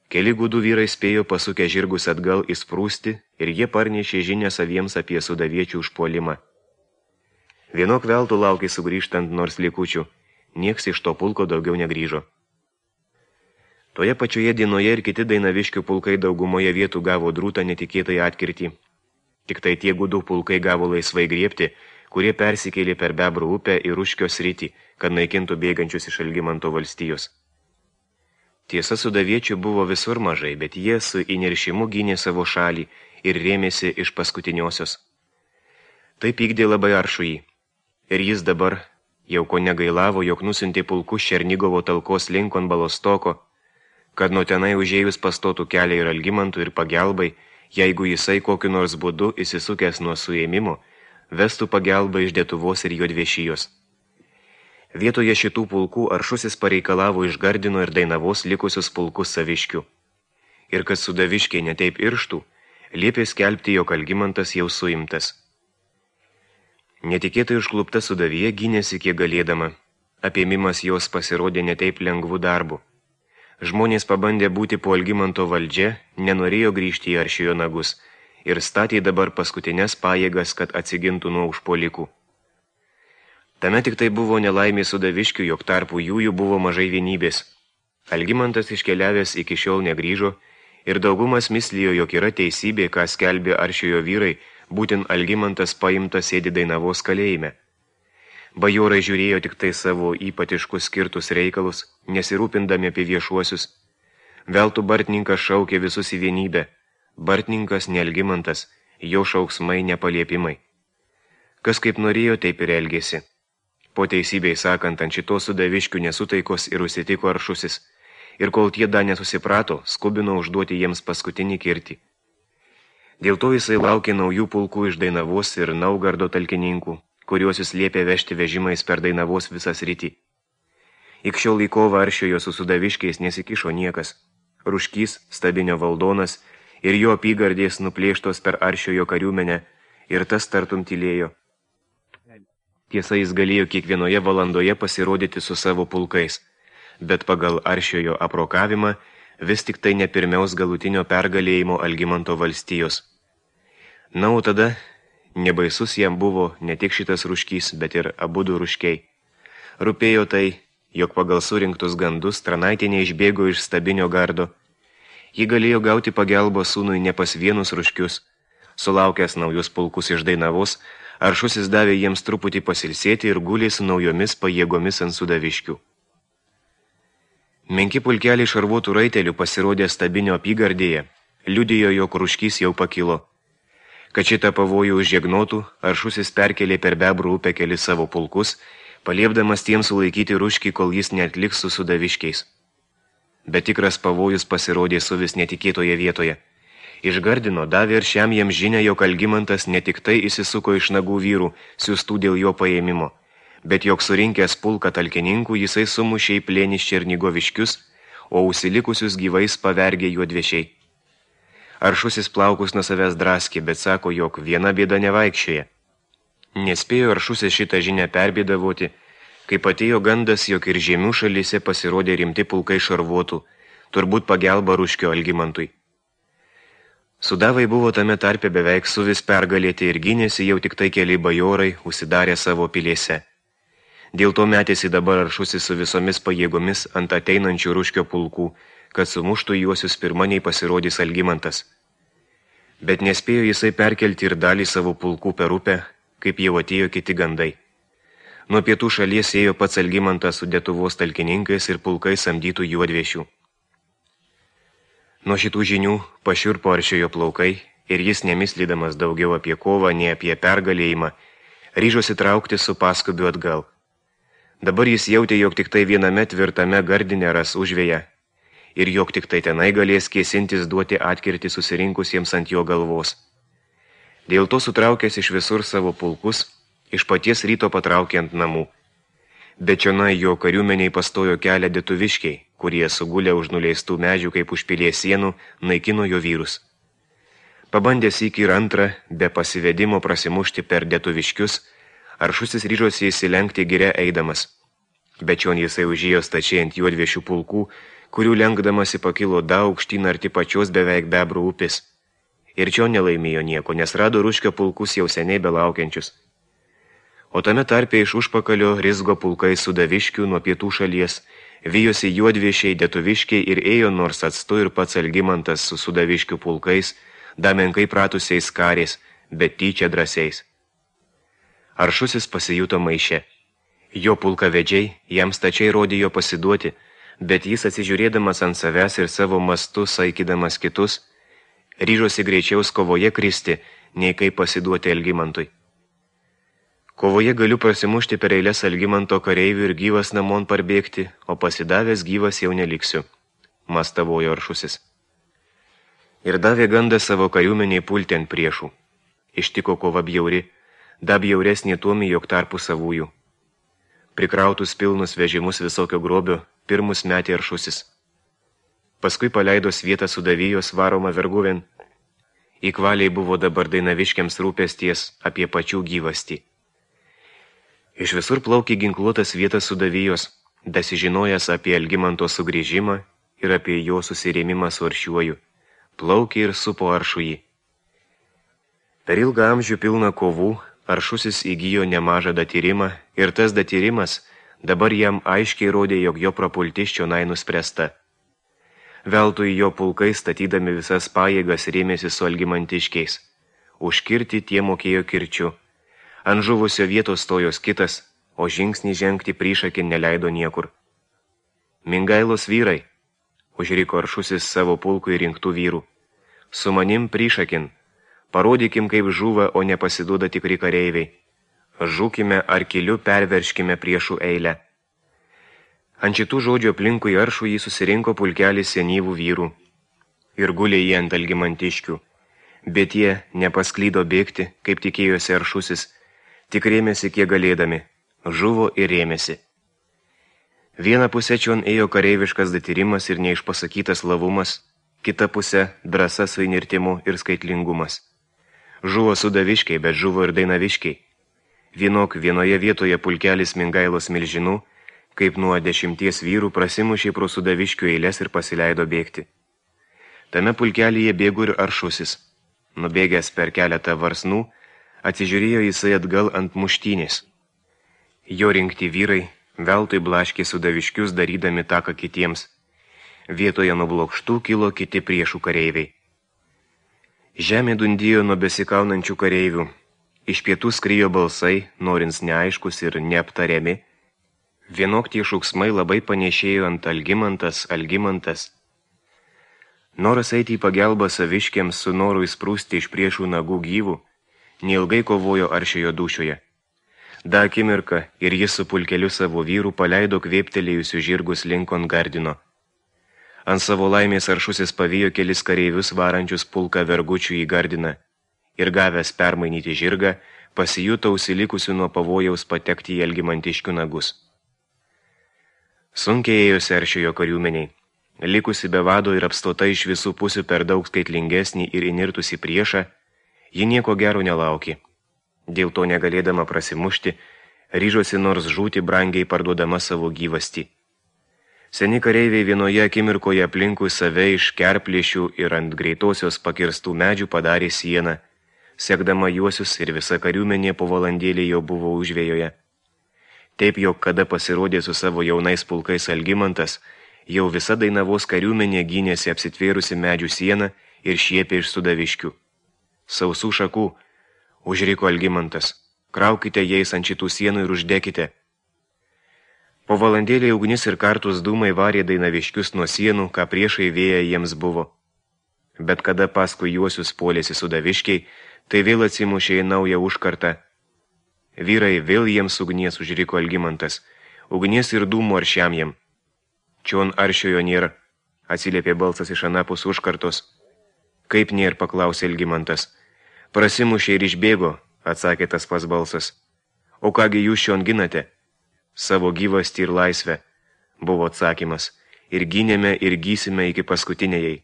Keli gudų vyrai spėjo pasukę žirgus atgal įsprūsti ir jie parnešė žinią saviems apie sudaviečių užpuolimą. Vienok veltų laukė sugrįžtant nors likučių, nieks iš to pulko daugiau negrįžo. Toje pačioje dienoje ir kiti dainaviškių pulkai daugumoje vietų gavo drūtą netikėtai atkirtį. Tik tai tie gudų pulkai gavo laisvai griebti, kurie persikėlė per Bebrų upę ir Ruškio sritį, kad naikintų bėgančius iš Algimanto valstijos. Tiesa, sudaviečių buvo visur mažai, bet jie su įniršimu gynė savo šalį ir rėmėsi iš paskutiniosios. Tai pykdė labai Aršųjį. Ir jis dabar jau ko negailavo, jog nusiuntė pulkus Černigovo talkos linkon Balostoko, kad nuo tenai užėjus pastotų kelią ir Algimantui ir pagelbai, jeigu jisai kokiu nors būdu įsisukęs nuo suėmimo, vestų pagalbą iš Detuvos ir Juodviešijos. Vietoje šitų pulkų Aršusis pareikalavo iš Gardino ir Dainavos likusius pulkus Saviškių. Ir kad Sudaviškiai netaip irštų, liepė skelbti, jog Algimantas jau suimtas. Netikėtai užklupta Sudavija gynėsi kiek galėdama. Apėmimas jos pasirodė netaip lengvų darbų. Žmonės pabandė būti po Algimanto valdžia, nenorėjo grįžti į Aršiojo nagus ir statė dabar paskutinės pajėgas, kad atsigintų nuo užpuolikų. Tame tik tai buvo nelaimė Sudaviškių, jog tarpu jų jų buvo mažai vienybės. Algimantas iškeliavęs iki šiol negrįžo ir daugumas mislijo, jog yra teisybė, ką skelbė Aršiojo vyrai, būtent Algimantas paimtas sėdi Dainavos kalėjime. Bajorai žiūrėjo tik tai savo ypatiškus skirtus reikalus, nesirūpindami apie viešuosius. Veltui Bartninkas šaukė visus į vienybę. Bartninkas ne Algimantas, jo šauksmai nepaliepimai. Kas kaip norėjo, taip ir elgėsi. Po teisybei sakant, ant šitos Sudaviškių nesutaikos ir užsitiko Aršusis, ir kol tie dar nesusiprato, skubino užduoti jiems paskutinį kirtį. Dėl to jisai laukė naujų pulkų iš Dainavos ir Naugardo talkininkų, kuriuos jis liepė vežti vežimais per Dainavos visą sritį. Ik šiol į kovą Aršiojo su Sudaviškiais nesikišo niekas. Ruškys, Stabinio valdonas ir jo apygardės nuplėštos per Aršiojo kariuomenę ir tas tartum tylėjo. Tiesa, jis galėjo kiekvienoje valandoje pasirodyti su savo pulkais, bet pagal Aršiojo aprokavimą vis tik tai nepirmiaus galutinio pergalėjimo Algimanto valstijos. Na, o tada nebaisus jam buvo ne tik šitas Ruškys, bet ir abudu Ruškiai. Rūpėjo tai, jog pagal surinktus gandus Tranaitė neišbėgo iš Stabinio gardo. Ji galėjo gauti pagalbą sūnui ne pas vienus Ruškius. Sulaukęs naujus pulkus iš Dainavos, Aršusis davė jiems truputį pasilsėti ir gulė su naujomis pajėgomis ant Sudaviškių. Menki pulkeliai šarvuotų raitelių pasirodė Stabinio apygardėje, liudijo, jog Ruškys jau pakilo. Kad šitą pavojų užžegnotų, Aršusis perkelė per Bebrų upę kelis savo pulkus, paliepdamas tiems sulaikyti Ruškį, kol jis neatliks su Sudaviškiais. Bet tikras pavojus pasirodė su vis netikėtoje vietoje. Iš Gardino davė ir šiam jam žinią, jog Algimantas ne tik tai įsisuko iš nagų vyrų, siųstų dėl jo paėmimo, bet jog surinkęs pulką talkininkų jisai sumušė į plėnį Černigoviškius, o užsilikusius gyvais pavergė Juodviešiai. Aršusis plaukus nuo savęs draskė, bet sako, jog viena bėda nevaikščioje. Nespėjo Aršusis šitą žinią perbėdavoti, kaip atėjo gandas, jog ir žemių šalyse pasirodė rimti pulkai šarvuotų, turbūt pagelba Ruškio Algimantui. Sudavai buvo tame tarpe beveik suvis pergalėti ir gynėsi jau tik tai keli bajorai, užsidarė savo pilėse. Dėl to metėsi dabar Aršusis su visomis pajėgomis ant ateinančių Ruškio pulkų, kad sumuštų juosius pirma nei pasirodys Algimantas. Bet nespėjo jisai perkelti ir dalį savo pulkų per upę, kaip jau atėjo kiti gandai. Nuo pietų šalies ėjo pats Algimantas su Detuvos talkininkais ir pulkais samdytų Juodviešių. Nuo šitų žinių pašiurpo Aršiojo plaukai ir jis, nemislydamas daugiau apie kovą, nei apie pergalėjimą, ryžosi traukti su paskubiu atgal. Dabar jis jautė, jog tik tai viename tvirtame Gardine ras užvėją ir jog tik tai tenai galės kėsintis duoti atkirtį susirinkusiems ant jo galvos. Dėl to sutraukęs iš visur savo pulkus, iš paties ryto patraukė ant namų. Bet čionai jo kariuomeniai pastojo kelią Detuviškiai, kurie sugulę už nuleistų medžių kaip už pilies sienų, naikino jo vyrus. Pabandęs iki ir antrą, be pasivedimo prasimušti per Detuviškius, Aršusis ryžosi įsilenkti giria eidamas. Bet čion jisai užėjo stačiai ant Juodviešių pulkų, kurių lenkdamasi pakilo daug aukštyn arti pačios beveik Bebrų upės. Ir čion nelaimėjo nieko, nes rado Ruškio pulkus jau seniai belaukiančius. O tame tarpe iš užpakalio rizgo pulkai Sudaviškių nuo pietų šalies, vijosi Juodviešiai, Detuviškiai ir ėjo nors atstu ir pats Algimantas su Sudaviškių pulkais, damenkai pratusiais kariais, bet tyčia drąsiais. Aršusis pasijuto maiše. Jo pulkavedžiai jam stačiai rodė jo pasiduoti, bet jis atsižiūrėdamas ant savęs ir savo mastu saikydamas kitus, ryžosi greičiau kovoje kristi, nei kaip pasiduoti Algimantui. Kovoje galiu prasimušti per eilės Algimanto kareivių ir gyvas namon parbėgti, o pasidavęs gyvas jau neliksiu, mastavojo Aršusis. ir davė gandą savo kariuomeniai pulti ant priešų. Ištiko kova bjauri, da bjauresnė tuomi, jog tarpu savųjų. Prikrautus pilnus vežimus visokio grobio, pirmus metė Aršusis. Paskui paleido Svietą Sudavijos varomą verguvėn. Įkvaliai buvo dabar Dainaviškiams rūpesties apie pačių gyvastį. Iš visur plaukė ginkluotas Svietas Sudavijos, dasižinojęs apie Algimanto sugrįžimą ir apie jo susirėmimą su Aršiuoju. Plaukė ir supo Aršųjį. Per ilgą amžių pilną kovų Aršusis įgijo nemažą datyrimą ir tas datyrimas dabar jam aiškiai rodė, jog jo prapultis čionai nuspręsta. Veltui jo pulkai statydami visas pajėgas rėmėsi su algimantiškiais. Užkirti tie mokėjo kirčiu. Ant žuvusio vietos stojos kitas, o žingsnį žengti priešakin neleido niekur. Mingailos vyrai, užriko Aršusis savo pulkui rinktų vyrų. Su manim priešakin, parodykim, kaip žuva, o nepasiduoda tikri kareiviai. Žūkime ar keliu perverškime priešų eilę. Ant šitų žodžių aplinkui Aršųjį susirinko pulkelis senyvų vyrų. Ir gulė jie ant algimantiškių. Bet jie nepasklydo bėgti, kaip tikėjosi Aršusis, tik rėmėsi kiek galėdami. Žuvo ir rėmėsi. Viena pusė čion ėjo kareiviškas datyrimas ir neišpasakytas lavumas, kita pusė drąsa su įnirtimu ir skaitlingumas. Žuvo Sudaviškiai, bet žuvo ir Dainaviškiai. Vienok vienoje vietoje pulkelis Mingailos milžinų, kaip nuo dešimties vyrų prasimušė pro Sudaviškių eilės ir pasileido bėgti. Tame pulkelyje bėgo ir Aršusis. Nubėgęs per keletą varsnų, atsižiūrėjo jisai atgal ant muštynės. Jo rinkti vyrai veltui blaškė Sudaviškius darydami taką kitiems. Vietoje nublokštų kilo kiti priešų kareiviai. Žemė dundijo nuo besikaunančių kareivių. Iš pietų skrijo balsai, norins neaiškus ir neaptariami. Vienok tie šūksmai labai panešėjo ant Algimantas, Algimantas. Noras eiti į pagelbą saviškiams su noru įsprūsti iš priešų nagų gyvų, neilgai kovojo Aršiojo dūšioje. Da akimirka ir jis su pulkeliu savo vyrų paleido kvėptelėjusių žirgus linkon Gardino. Ant savo laimės Aršusis pavijo kelis kareivius varančius pulką vergučių į Gardiną ir gavęs permainyti žirgą, pasijuto užsilikusių nuo pavojaus patekti į algimantiškių nagus. Sunkiai ėjosi Aršiojo kariuomeniai. Likusi be vado ir apstota iš visų pusių per daug skaitlingesnį ir įnirtusi priešą, ji nieko gero nelaukė. Dėl to negalėdama prasimušti, ryžosi nors žūti brangiai parduodama savo gyvastį. Seni kareiviai vienoje akimirkoje aplinkui save iš kerplėšių ir ant greitosios pakirstų medžių padarė sieną, sekdama juosius ir visa kariuomenė po valandėlį jau buvo užvėjoje. Taip, jog kada pasirodė su savo jaunais pulkais Algimantas, jau visa Dainavos kariuomenė gynėsi apsitvėrusi medžių sieną ir šiepė iš Sudaviškių. Sausų šakų, užriko Algimantas, kraukite jais ant šitų sienų ir uždekite. Po valandėlį ugnis ir kartus dūmai varė Dainaviškius nuo sienų, ką priešai vėja jiems buvo. Bet kada paskui juosius puolėsi Sudaviškiai, tai vėl atsimušė į naują užkartą. Vyrai, vėl jiems ugnies, užriko Algimantas, ugnies ir dūmų Aršiam jiem. Čion Aršiojo nėra, atsiliepė balsas iš anapus užkartos. Kaip nėra, paklausė Algimantas. Prasimušė ir išbėgo, atsakė tas pas balsas. O kągi jūs šion ginate? Savo gyvastį ir laisvę, buvo atsakymas, ir gynėme ir gysime iki paskutinėjai.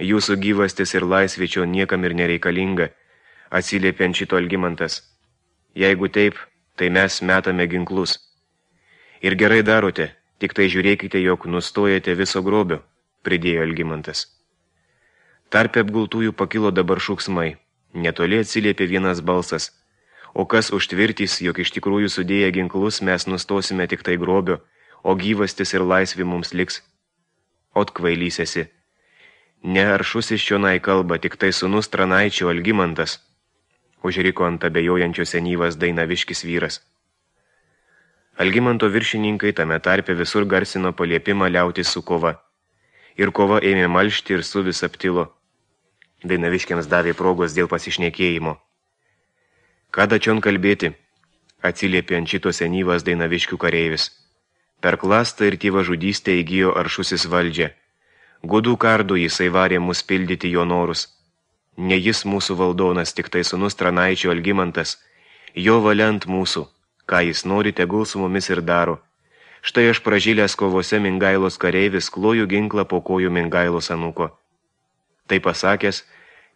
Jūsų gyvastis ir laisvė čia niekam ir nereikalinga, atsiliepė ant šito Algimantas. Jeigu taip, tai mes metame ginklus. Ir gerai darote, tik tai žiūrėkite, jog nustojate viso grobio, pridėjo Algimantas. Tarpe apgultųjų pakilo dabar šūksmai, netoli atsiliepė vienas balsas. O kas užtvirtys, jog iš tikrųjų sudėję ginklus mes nustosime tik tai grobio, o gyvastis ir laisvė mums liks. Ot kvailys esi. Ne Aršusis čionai kalba, tik tai sūnus Tranaičio Algimantas, užriko ant abejojančio senyvas Dainaviškis vyras. Algimanto viršininkai tame tarpe visur garsino paliepimą liautis su kova. Ir kova ėmė malšti ir suvis aptilo. Dainaviškiams davė progos dėl pasišnekėjimo. Kada čion kalbėti, atsiliepė ant šito senyvas Dainaviškių kareivis. Per klastą ir tėvą žudystę įgijo Aršusis valdžią. Gudų kardų jisai varė mus pildyti jo norus. Ne jis mūsų valdonas, tik tai sūnus Tranaičio Algimantas. Jo valiant mūsų, ką jis nori, tegul su mumis ir daro. Štai aš pražylęs kovose Mingailos kareivis kloju ginklą po kojų Mingailos anūko. Tai pasakęs,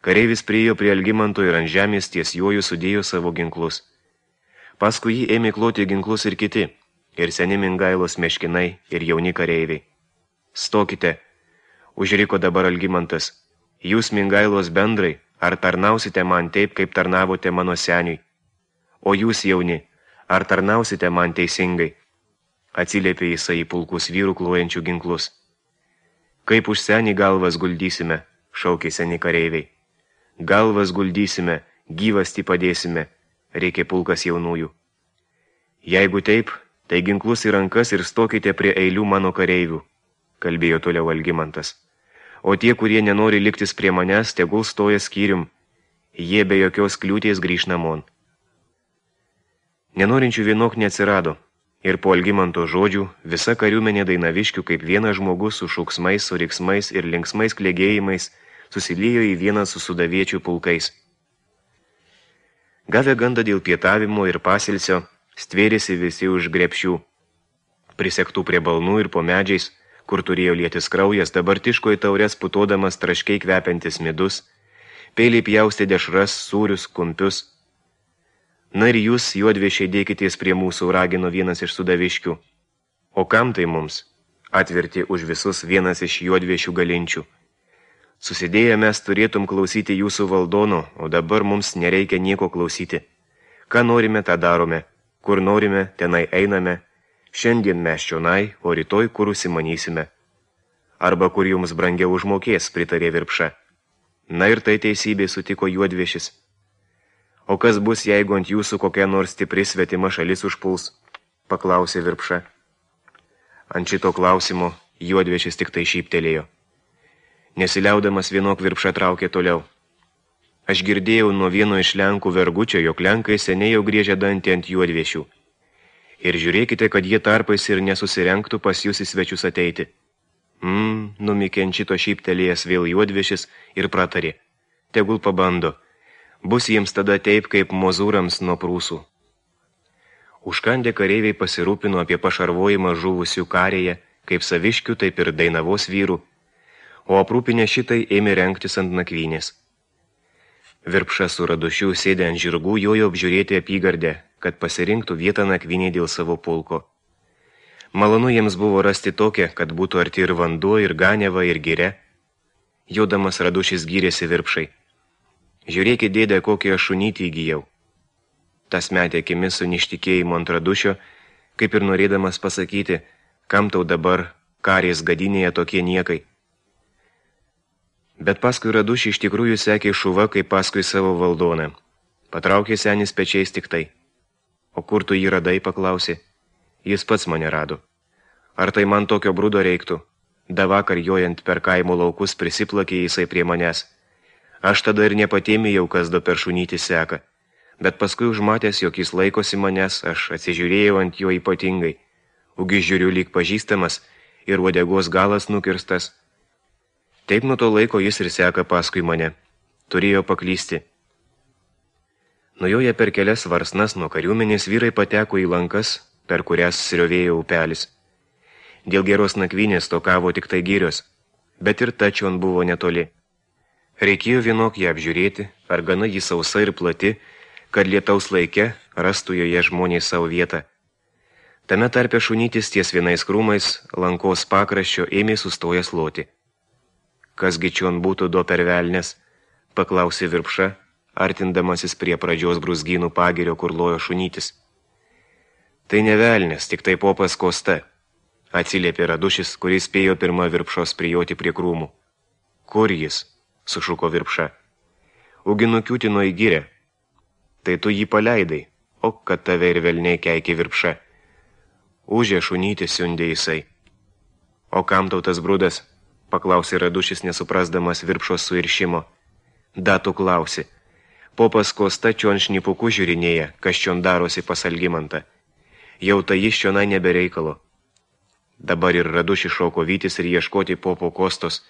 kareivis priėjo prie Algimanto ir ant žemės ties juoju sudėjo savo ginklus. Paskui jį ėmė kloti ginklus ir kiti, ir seni Mingailos meškinai, ir jauni kareiviai. Stokite, užriko dabar Algimantas, jūs Mingailos bendrai, ar tarnausite man taip, kaip tarnavote mano seniui? O jūs jauni, ar tarnausite man teisingai? Atsiliepė jisai į pulkus vyrų klojančių ginklus. Kaip už senį galvas guldysime, šaukė seni kareiviai. Galvas guldysime, gyvastį padėsime, reikia pulkas jaunųjų. Jeigu taip, tai ginklus į rankas ir stokite prie eilių mano kareivių, kalbėjo toliau Algimantas. O tie, kurie nenori liktis prie manęs, tegul stoja skyrium, jie be jokios kliūties grįž namon. Nenorinčių vienok neatsirado, ir po Algimanto žodžių visa kariuomenė Dainaviškių kaip vienas žmogus su šauksmais, su riksmais ir linksmais klegėjimais susiliejo į vieną su sudaviečių pulkais. Gavę gandą dėl pietavimo ir pasilsio, stvėrėsi visi už grepšių. Prisektų prie balnų ir po medžiais, kur turėjo lietis kraujas, dabar tiško į taures putodamas traškiai kvepiantis midus, peiliai pjaustė dešras, sūrius, kumpius. Na ir jūs, juodviešiai, dėkitės prie mūsų, ragino vienas iš sudaviškių. O kam tai mums? Atvertė už visus vienas iš juodviešių galinčių. Susidėję mes turėtum klausyti jūsų valdono, o dabar mums nereikia nieko klausyti. Ką norime, tą darome. Kur norime, tenai einame. Šiandien mes čionai, o rytoj kur užsimanysime. Arba kur jums brangiau užmokės, pritarė Virpša. Na ir tai teisybė, sutiko juodviešis. O kas bus, jeigu ant jūsų kokia nors stipri svetima šalis užpuls? Paklausė Virpša. Ant šito klausimo juodviešis tik tai šyptelėjo. Nesiliaudamas vienok Virpša traukė toliau. Aš girdėjau nuo vieno iš Lenkų vergučio, jog Lenkai seniai jau griežia dantį ant juodviešių. Ir žiūrėkite, kad jie tarpais ir nesusirenktų pas jūs į svečius ateiti. Mmm, numikė ant šito šyptelėjęs vėl juodviešis ir pratarė. Tegul pabando. Bus jiems tada taip, kaip mozūrams nuo prūsų. Užkandę kareiviai pasirūpino apie pašarvojimą žuvusių karėje, kaip saviškių, taip ir Dainavos vyrų, o aprūpinę šitai ėmė rengtis ant nakvynės. Virpša su Radušiu sėdė ant žirgų, jojo apžiūrėti apygardę, kad pasirinktų vietą nakvynė dėl savo pulko. Malonu jiems buvo rasti tokią, kad būtų arti ir vanduo, ir ganiava, ir giria. Jodamas Radušis gyrėsi Virpšai. Žiūrėkit, dėdė, kokį aš šunytį įgyjau. Tas metė akimis su neištikėjimu ant Radušio, kaip ir norėdamas pasakyti, kam tau dabar karės gadinėje tokie niekai. Bet paskui Radušį iš tikrųjų sekė šuva, kaip paskui savo valdoną. Patraukė senis pečiais tik tai. O kur tu jį radai, paklausė. Jis pats mane rado. Ar tai man tokio brudo reiktų? Da vakar jojant per kaimo laukus prisiplakė jisai prie manęs. Aš tada ir nepatėmėjau, kas do per šunytį seka, bet paskui užmatęs, jog jis laikosi manęs, aš atsižiūrėjau ant jo ypatingai. Ugi žiūriu lyg pažįstamas ir uodegos galas nukirstas. Taip nuo to laiko jis ir seka paskui mane. Turėjo paklysti. Nujoję per kelias varsnas nuo kariuomenės vyrai pateko į lankas, per kurias sriovėjo upelis. Dėl geros nakvynės tokavo tik tai girios, bet ir tačion buvo netoli. Reikėjo vienok ją apžiūrėti, ar gana jį sausa ir plati, kad lietaus laike rastų joje žmonės savo vietą. Tame tarpe šunytis ties vienais krūmais lankos pakraščio ėmė sustojęs loti. Kasgi čion būtų do per velnes, paklausė Virpša, artindamasis prie pradžios brūzgynų pagirio, kur lojo šunytis. Tai ne velnes, tik tai popas Kosta, atsiliepė Radušis, kuris spėjo pirma Virpšos prijoti prie krūmų. Kur jis? Sušuko Virpša. Ugi nukiūtino į girę. Tai tu jį paleidai, o kad tave ir velniai keikė Virpša. Užė šunytį siundė jisai. O kam tau tas brudas? Paklausė Radušis, nesuprasdamas Virpšos suiršimo. Datų klausi. Popas Kosta čion šnipuku žiūrinėja, kas čion darosi pas Algimantą. Jau tai jis čionai nebereikalo. Dabar ir Raduši šoko vytis ir ieškoti popo Kostos,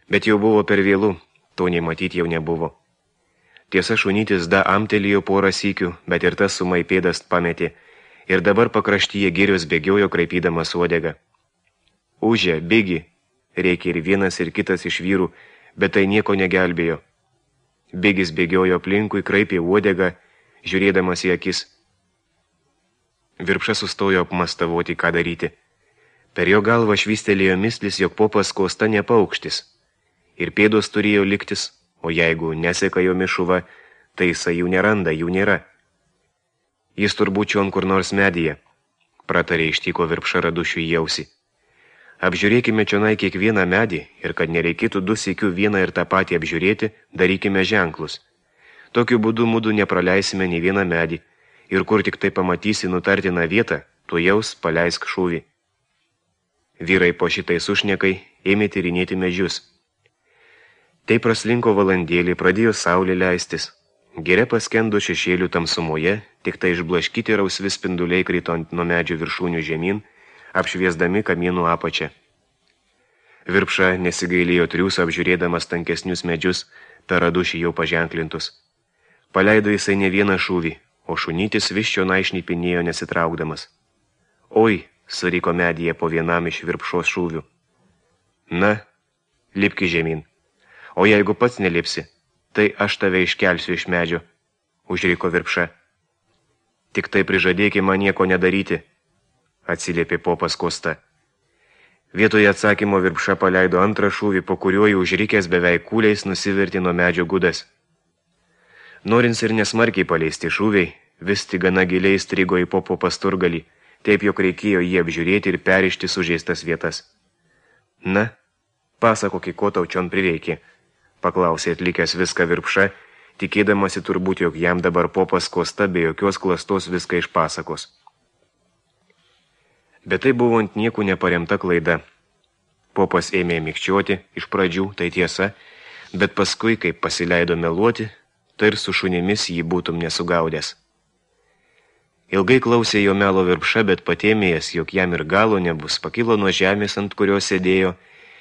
bet jau buvo per vėlų, to nei matyti jau nebuvo. Tiesa, šunytis da amtelėjo porą sykių, bet ir tas sumai pėdas pametė, ir dabar pakraštyje girios bėgiojo kraipydamas uodegą. Užė, bėgi, reikia ir vienas ir kitas iš vyrų, bet tai nieko negelbėjo. Bėgis bėgiojo aplinkui, kraipė uodegą, žiūrėdamas į akis. Virpša sustojo apmastavoti, ką daryti. Per jo galvą švystelėjo mislis, jog popas Kosta nepaukštis. Ir pėdos turėjo liktis, o jeigu neseka jo mišuva, tai jisai jų neranda, jų nėra. Jis turbūt čion kur nors medyje, pratarė ištiko Virpša Radušiui į ausį. Apžiūrėkime čionai kiekvieną medį ir kad nereikėtų du sykių vieną ir tą patį apžiūrėti, darykime ženklus. Tokiu būdu mudu nepraleisime nei vieną medį ir kur tik tai pamatysi nutartiną vietą, tu jaus paleisk šūvį. Vyrai po šitai sušnekai ėmė tyrinėti medžius. Tai praslinko valandėlį, pradėjo saulė leistis. Giria paskendo šešėlių tamsumoje, tik tai išblaškyti rausvi spinduliai krito ant nuo medžių viršūnių žemyn, apšviesdami kamienų apačią. Virpša nesigailėjo triūsą apžiūrėdamas tankesnius medžius, per Radušį jau paženklintus. Paleido jisai ne vieną šūvį, o šunytis vis čionai šnipinėjo nesitraukdamas. Oi, suriko medyje po vienam iš Virpšos šūvių. Na, lipki žemyn. O jeigu pats nelipsi, tai aš tave iškelsiu iš medžio, užriko Virpša. Tik tai prižadėki man nieko nedaryti, atsiliepė popas Kosta. Vietoje atsakymo Virpša paleido antrą šūvį, po kuriuo jau užrikęs beveik kūliais nusivertė nuo medžio gudas. Norins ir nesmarkiai paleisti šūviai, vis tik gana giliai strigo į popo pasturgalį, taip jog reikėjo jį apžiūrėti ir perišti sužeistas vietas. Na, pasakokį, ko tau čion prireikė, paklausė atlikęs viską Virpša, tikėdamasi turbūt, jog jam dabar popas Kosta be jokios klastos viską išpasakos. Bet tai buvo ant niekų neparemta klaida. Popas ėmė mikčioti, iš pradžių, tai tiesa, bet paskui, kaip pasileido meluoti, tai ir su šunimis jį būtum nesugaudęs. Ilgai klausė jo melo Virpša, bet patėmėjęs, jog jam ir galo nebus, pakilo nuo žemės, ant kurios sėdėjo,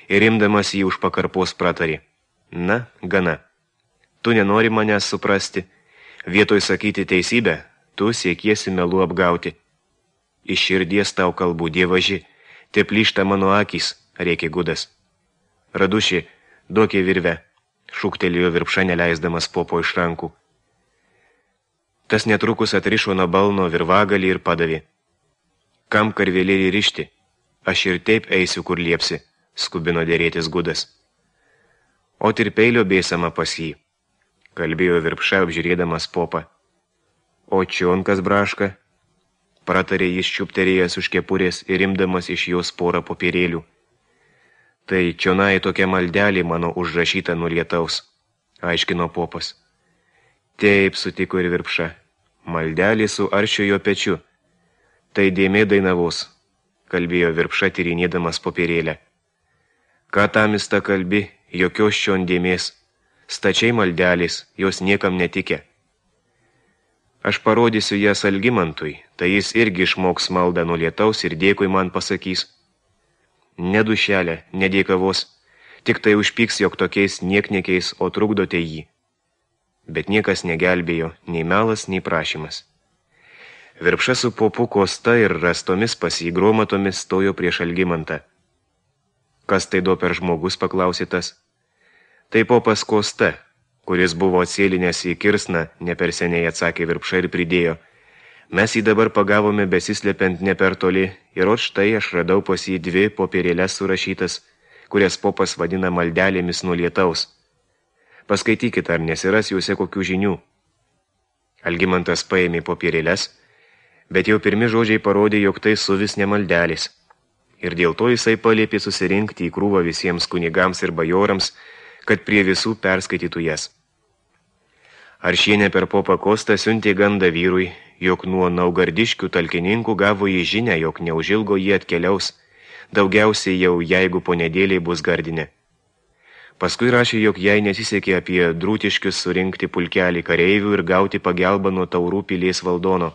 ir imdamas jį už pakarpos pratarė. Na, gana. Tu nenori manęs suprasti. Vietoj sakyti teisybę, tu siekiesi melų apgauti. Iš širdies tau kalbų, dievaži, te plyšta mano akys, rėkė gudas. Raduši, duokė virvę, šūktelėjo Virpša, neleisdamas popo iš rankų. Tas netrukus atrišo nuo balno virvagalį ir padavė. Kam karvelėlį rišti? Aš ir taip eisiu, kur liepsi, skubino dėrėtis gudas. O ir peilio bėsama pas jį, kalbėjo Virpša, apžiūrėdamas popą. O čion kas braška, pratarė jis čiupterėjęs už kepurės ir imdamas iš jos porą popierėlių. Tai čionai tokia maldelė mano užrašyta nuo lietaus, aiškino popas. Taip, sutiko ir Virpša, maldelė su aršiojo pečiu. Tai dėmė dainavos, kalbėjo Virpša, tyrinėdamas popierėlę. Ką tamista kalbi, jokios šion dėmės, stačiai maldelės, jos niekam netikė. Aš parodysiu jas Algimantui, tai jis irgi išmoks maldą nuo lietaus ir dėkui man pasakys. Ne dušelė, ne dėkavos, tik tai užpyks, jog tokiais niekniekiais, o trukdote jį. Bet niekas negelbėjo, nei melas, nei prašymas. Virpša su popu Kosta ir rastomis pasigromatomis stojo prieš Algimantą. Kas tai do per žmogus, paklausė tas. Tai popas Kosta, kuris buvo atsėlinęs į kirsną, ne per seniai atsakė Virpša ir pridėjo. Mes jį dabar pagavome besislepiant ne per toli, ir ot štai aš radau pas jį dvi popierėles surašytas, kurias popas vadina maldelėmis nuo lietaus. Paskaitykit, ar nesiras juose kokių žinių. Algimantas paėmė popierėles, bet jau pirmi žodžiai parodė, jog tai suvis nemaldelis. Ir dėl to jisai paliepė susirinkti į krūvą visiems kunigams ir bajorams, kad prie visų perskaitytų jas. Aršienė per popą Kostą siuntė gandą vyrui, jog nuo naugardiškių talkininkų gavo į žinę, jog neužilgo jie atkeliaus, daugiausiai jau jeigu po nedėliai bus gardinė. Paskui rašė, jog jai nesisekė apie drūtiškius surinkti pulkelį kareivių ir gauti pagelbą nuo taurų pilies valdono.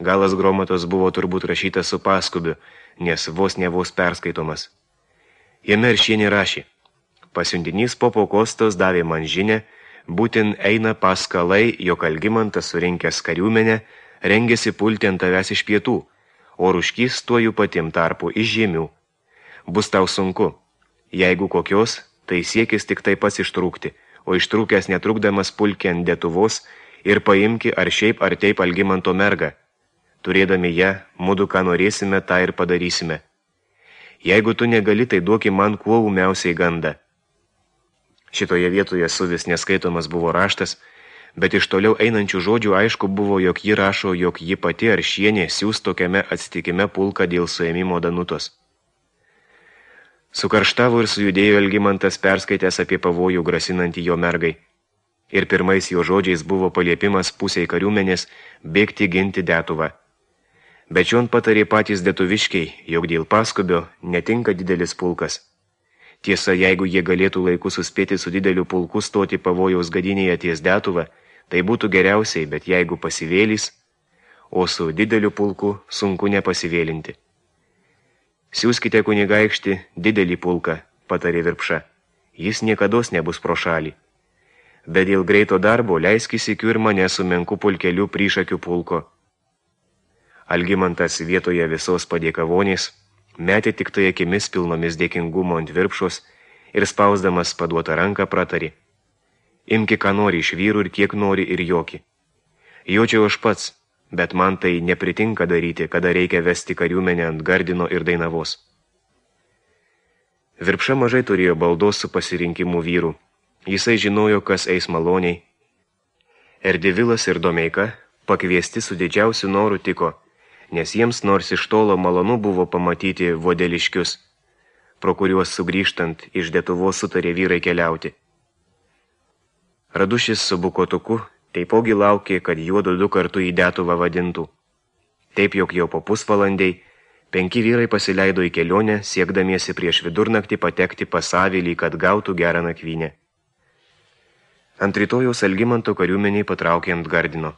Galas Gromatos buvo turbūt rašytas su paskubiu, nes vos ne vos perskaitomas. Jame Aršienė rašė: pasiuntinys popo Kostos davė man žinę, būtin eina paskalai, jog Algimantas surinkęs kariuomenę rengėsi pulti ant tavęs iš pietų, o Ruškys tuojų patim tarpu iš žemių. Bus tau sunku. Jeigu kokios, tai siekis tik taip pats ištrūkti, o ištrūkęs netrukdamas pulki ant Detuvos ir paimki ar šiaip ar taip Algimanto mergą. Turėdami ją, mudu ką norėsime, tą ir padarysime. Jeigu tu negali, tai duoki man kuo ūmiausiai gandą. Šitoje vietoje suvis neskaitomas buvo raštas, bet iš toliau einančių žodžių aišku buvo, jog ji rašo, jog ji pati Aršienė siūs tokiame atsitikime pulką dėl suėmimo Danutos. Sukarštavo ir sujudėjo Algimantas, perskaitęs apie pavojų grasinantį jo mergai. Ir pirmais jo žodžiais buvo paliepimas pusiai kariuomenės bėgti ginti Detuvą. Bet šion patarė patys detuviškiai, jog dėl paskubio netinka didelis pulkas. Tiesa, jeigu jie galėtų laiku suspėti su dideliu pulku stoti pavojaus gadinėje ties Detuvą, tai būtų geriausiai, bet jeigu pasivėlys, o su dideliu pulku sunku nepasivėlinti. Siūskite kunigaikštį didelį pulką, patarė Virpša. Jis niekados nebus pro šalį. Bet dėl greito darbo leiskis įkiu ir mane su menku pulkeliu prišakių pulko. Algimantas vietoje visos padėkavonės metė tik tai akimis pilnomis dėkingumo ant Virpšos ir spausdamas paduotą ranką pratarė: imki ką nori iš vyrų ir kiek nori ir joki. Jočiau aš pats, bet man tai nepritinka daryti, kada reikia vesti kariuomenę ant Gardino ir Dainavos. Virpša mažai turėjo baldos su pasirinkimu vyrų. Jisai žinojo, kas eis maloniai. Erdivilas ir Domeika pakviesti su didžiausiu noru tiko, nes jiems nors iš tolo malonu buvo pamatyti vodeliškius, pro kuriuos sugrįžtant iš Detuvos sutarė vyrai keliauti. Radušis su Bukotuku taipogi laukė, kad juodu du kartu į Detuvą vadintų. Taip, jog jau po pusvalandai penki vyrai pasileido į kelionę, siekdamiesi prieš vidurnaktį patekti pas avilį, kad gautų gerą nakvynę. Ant rytojaus Algimanto kariuomeniai patraukė ant Gardino.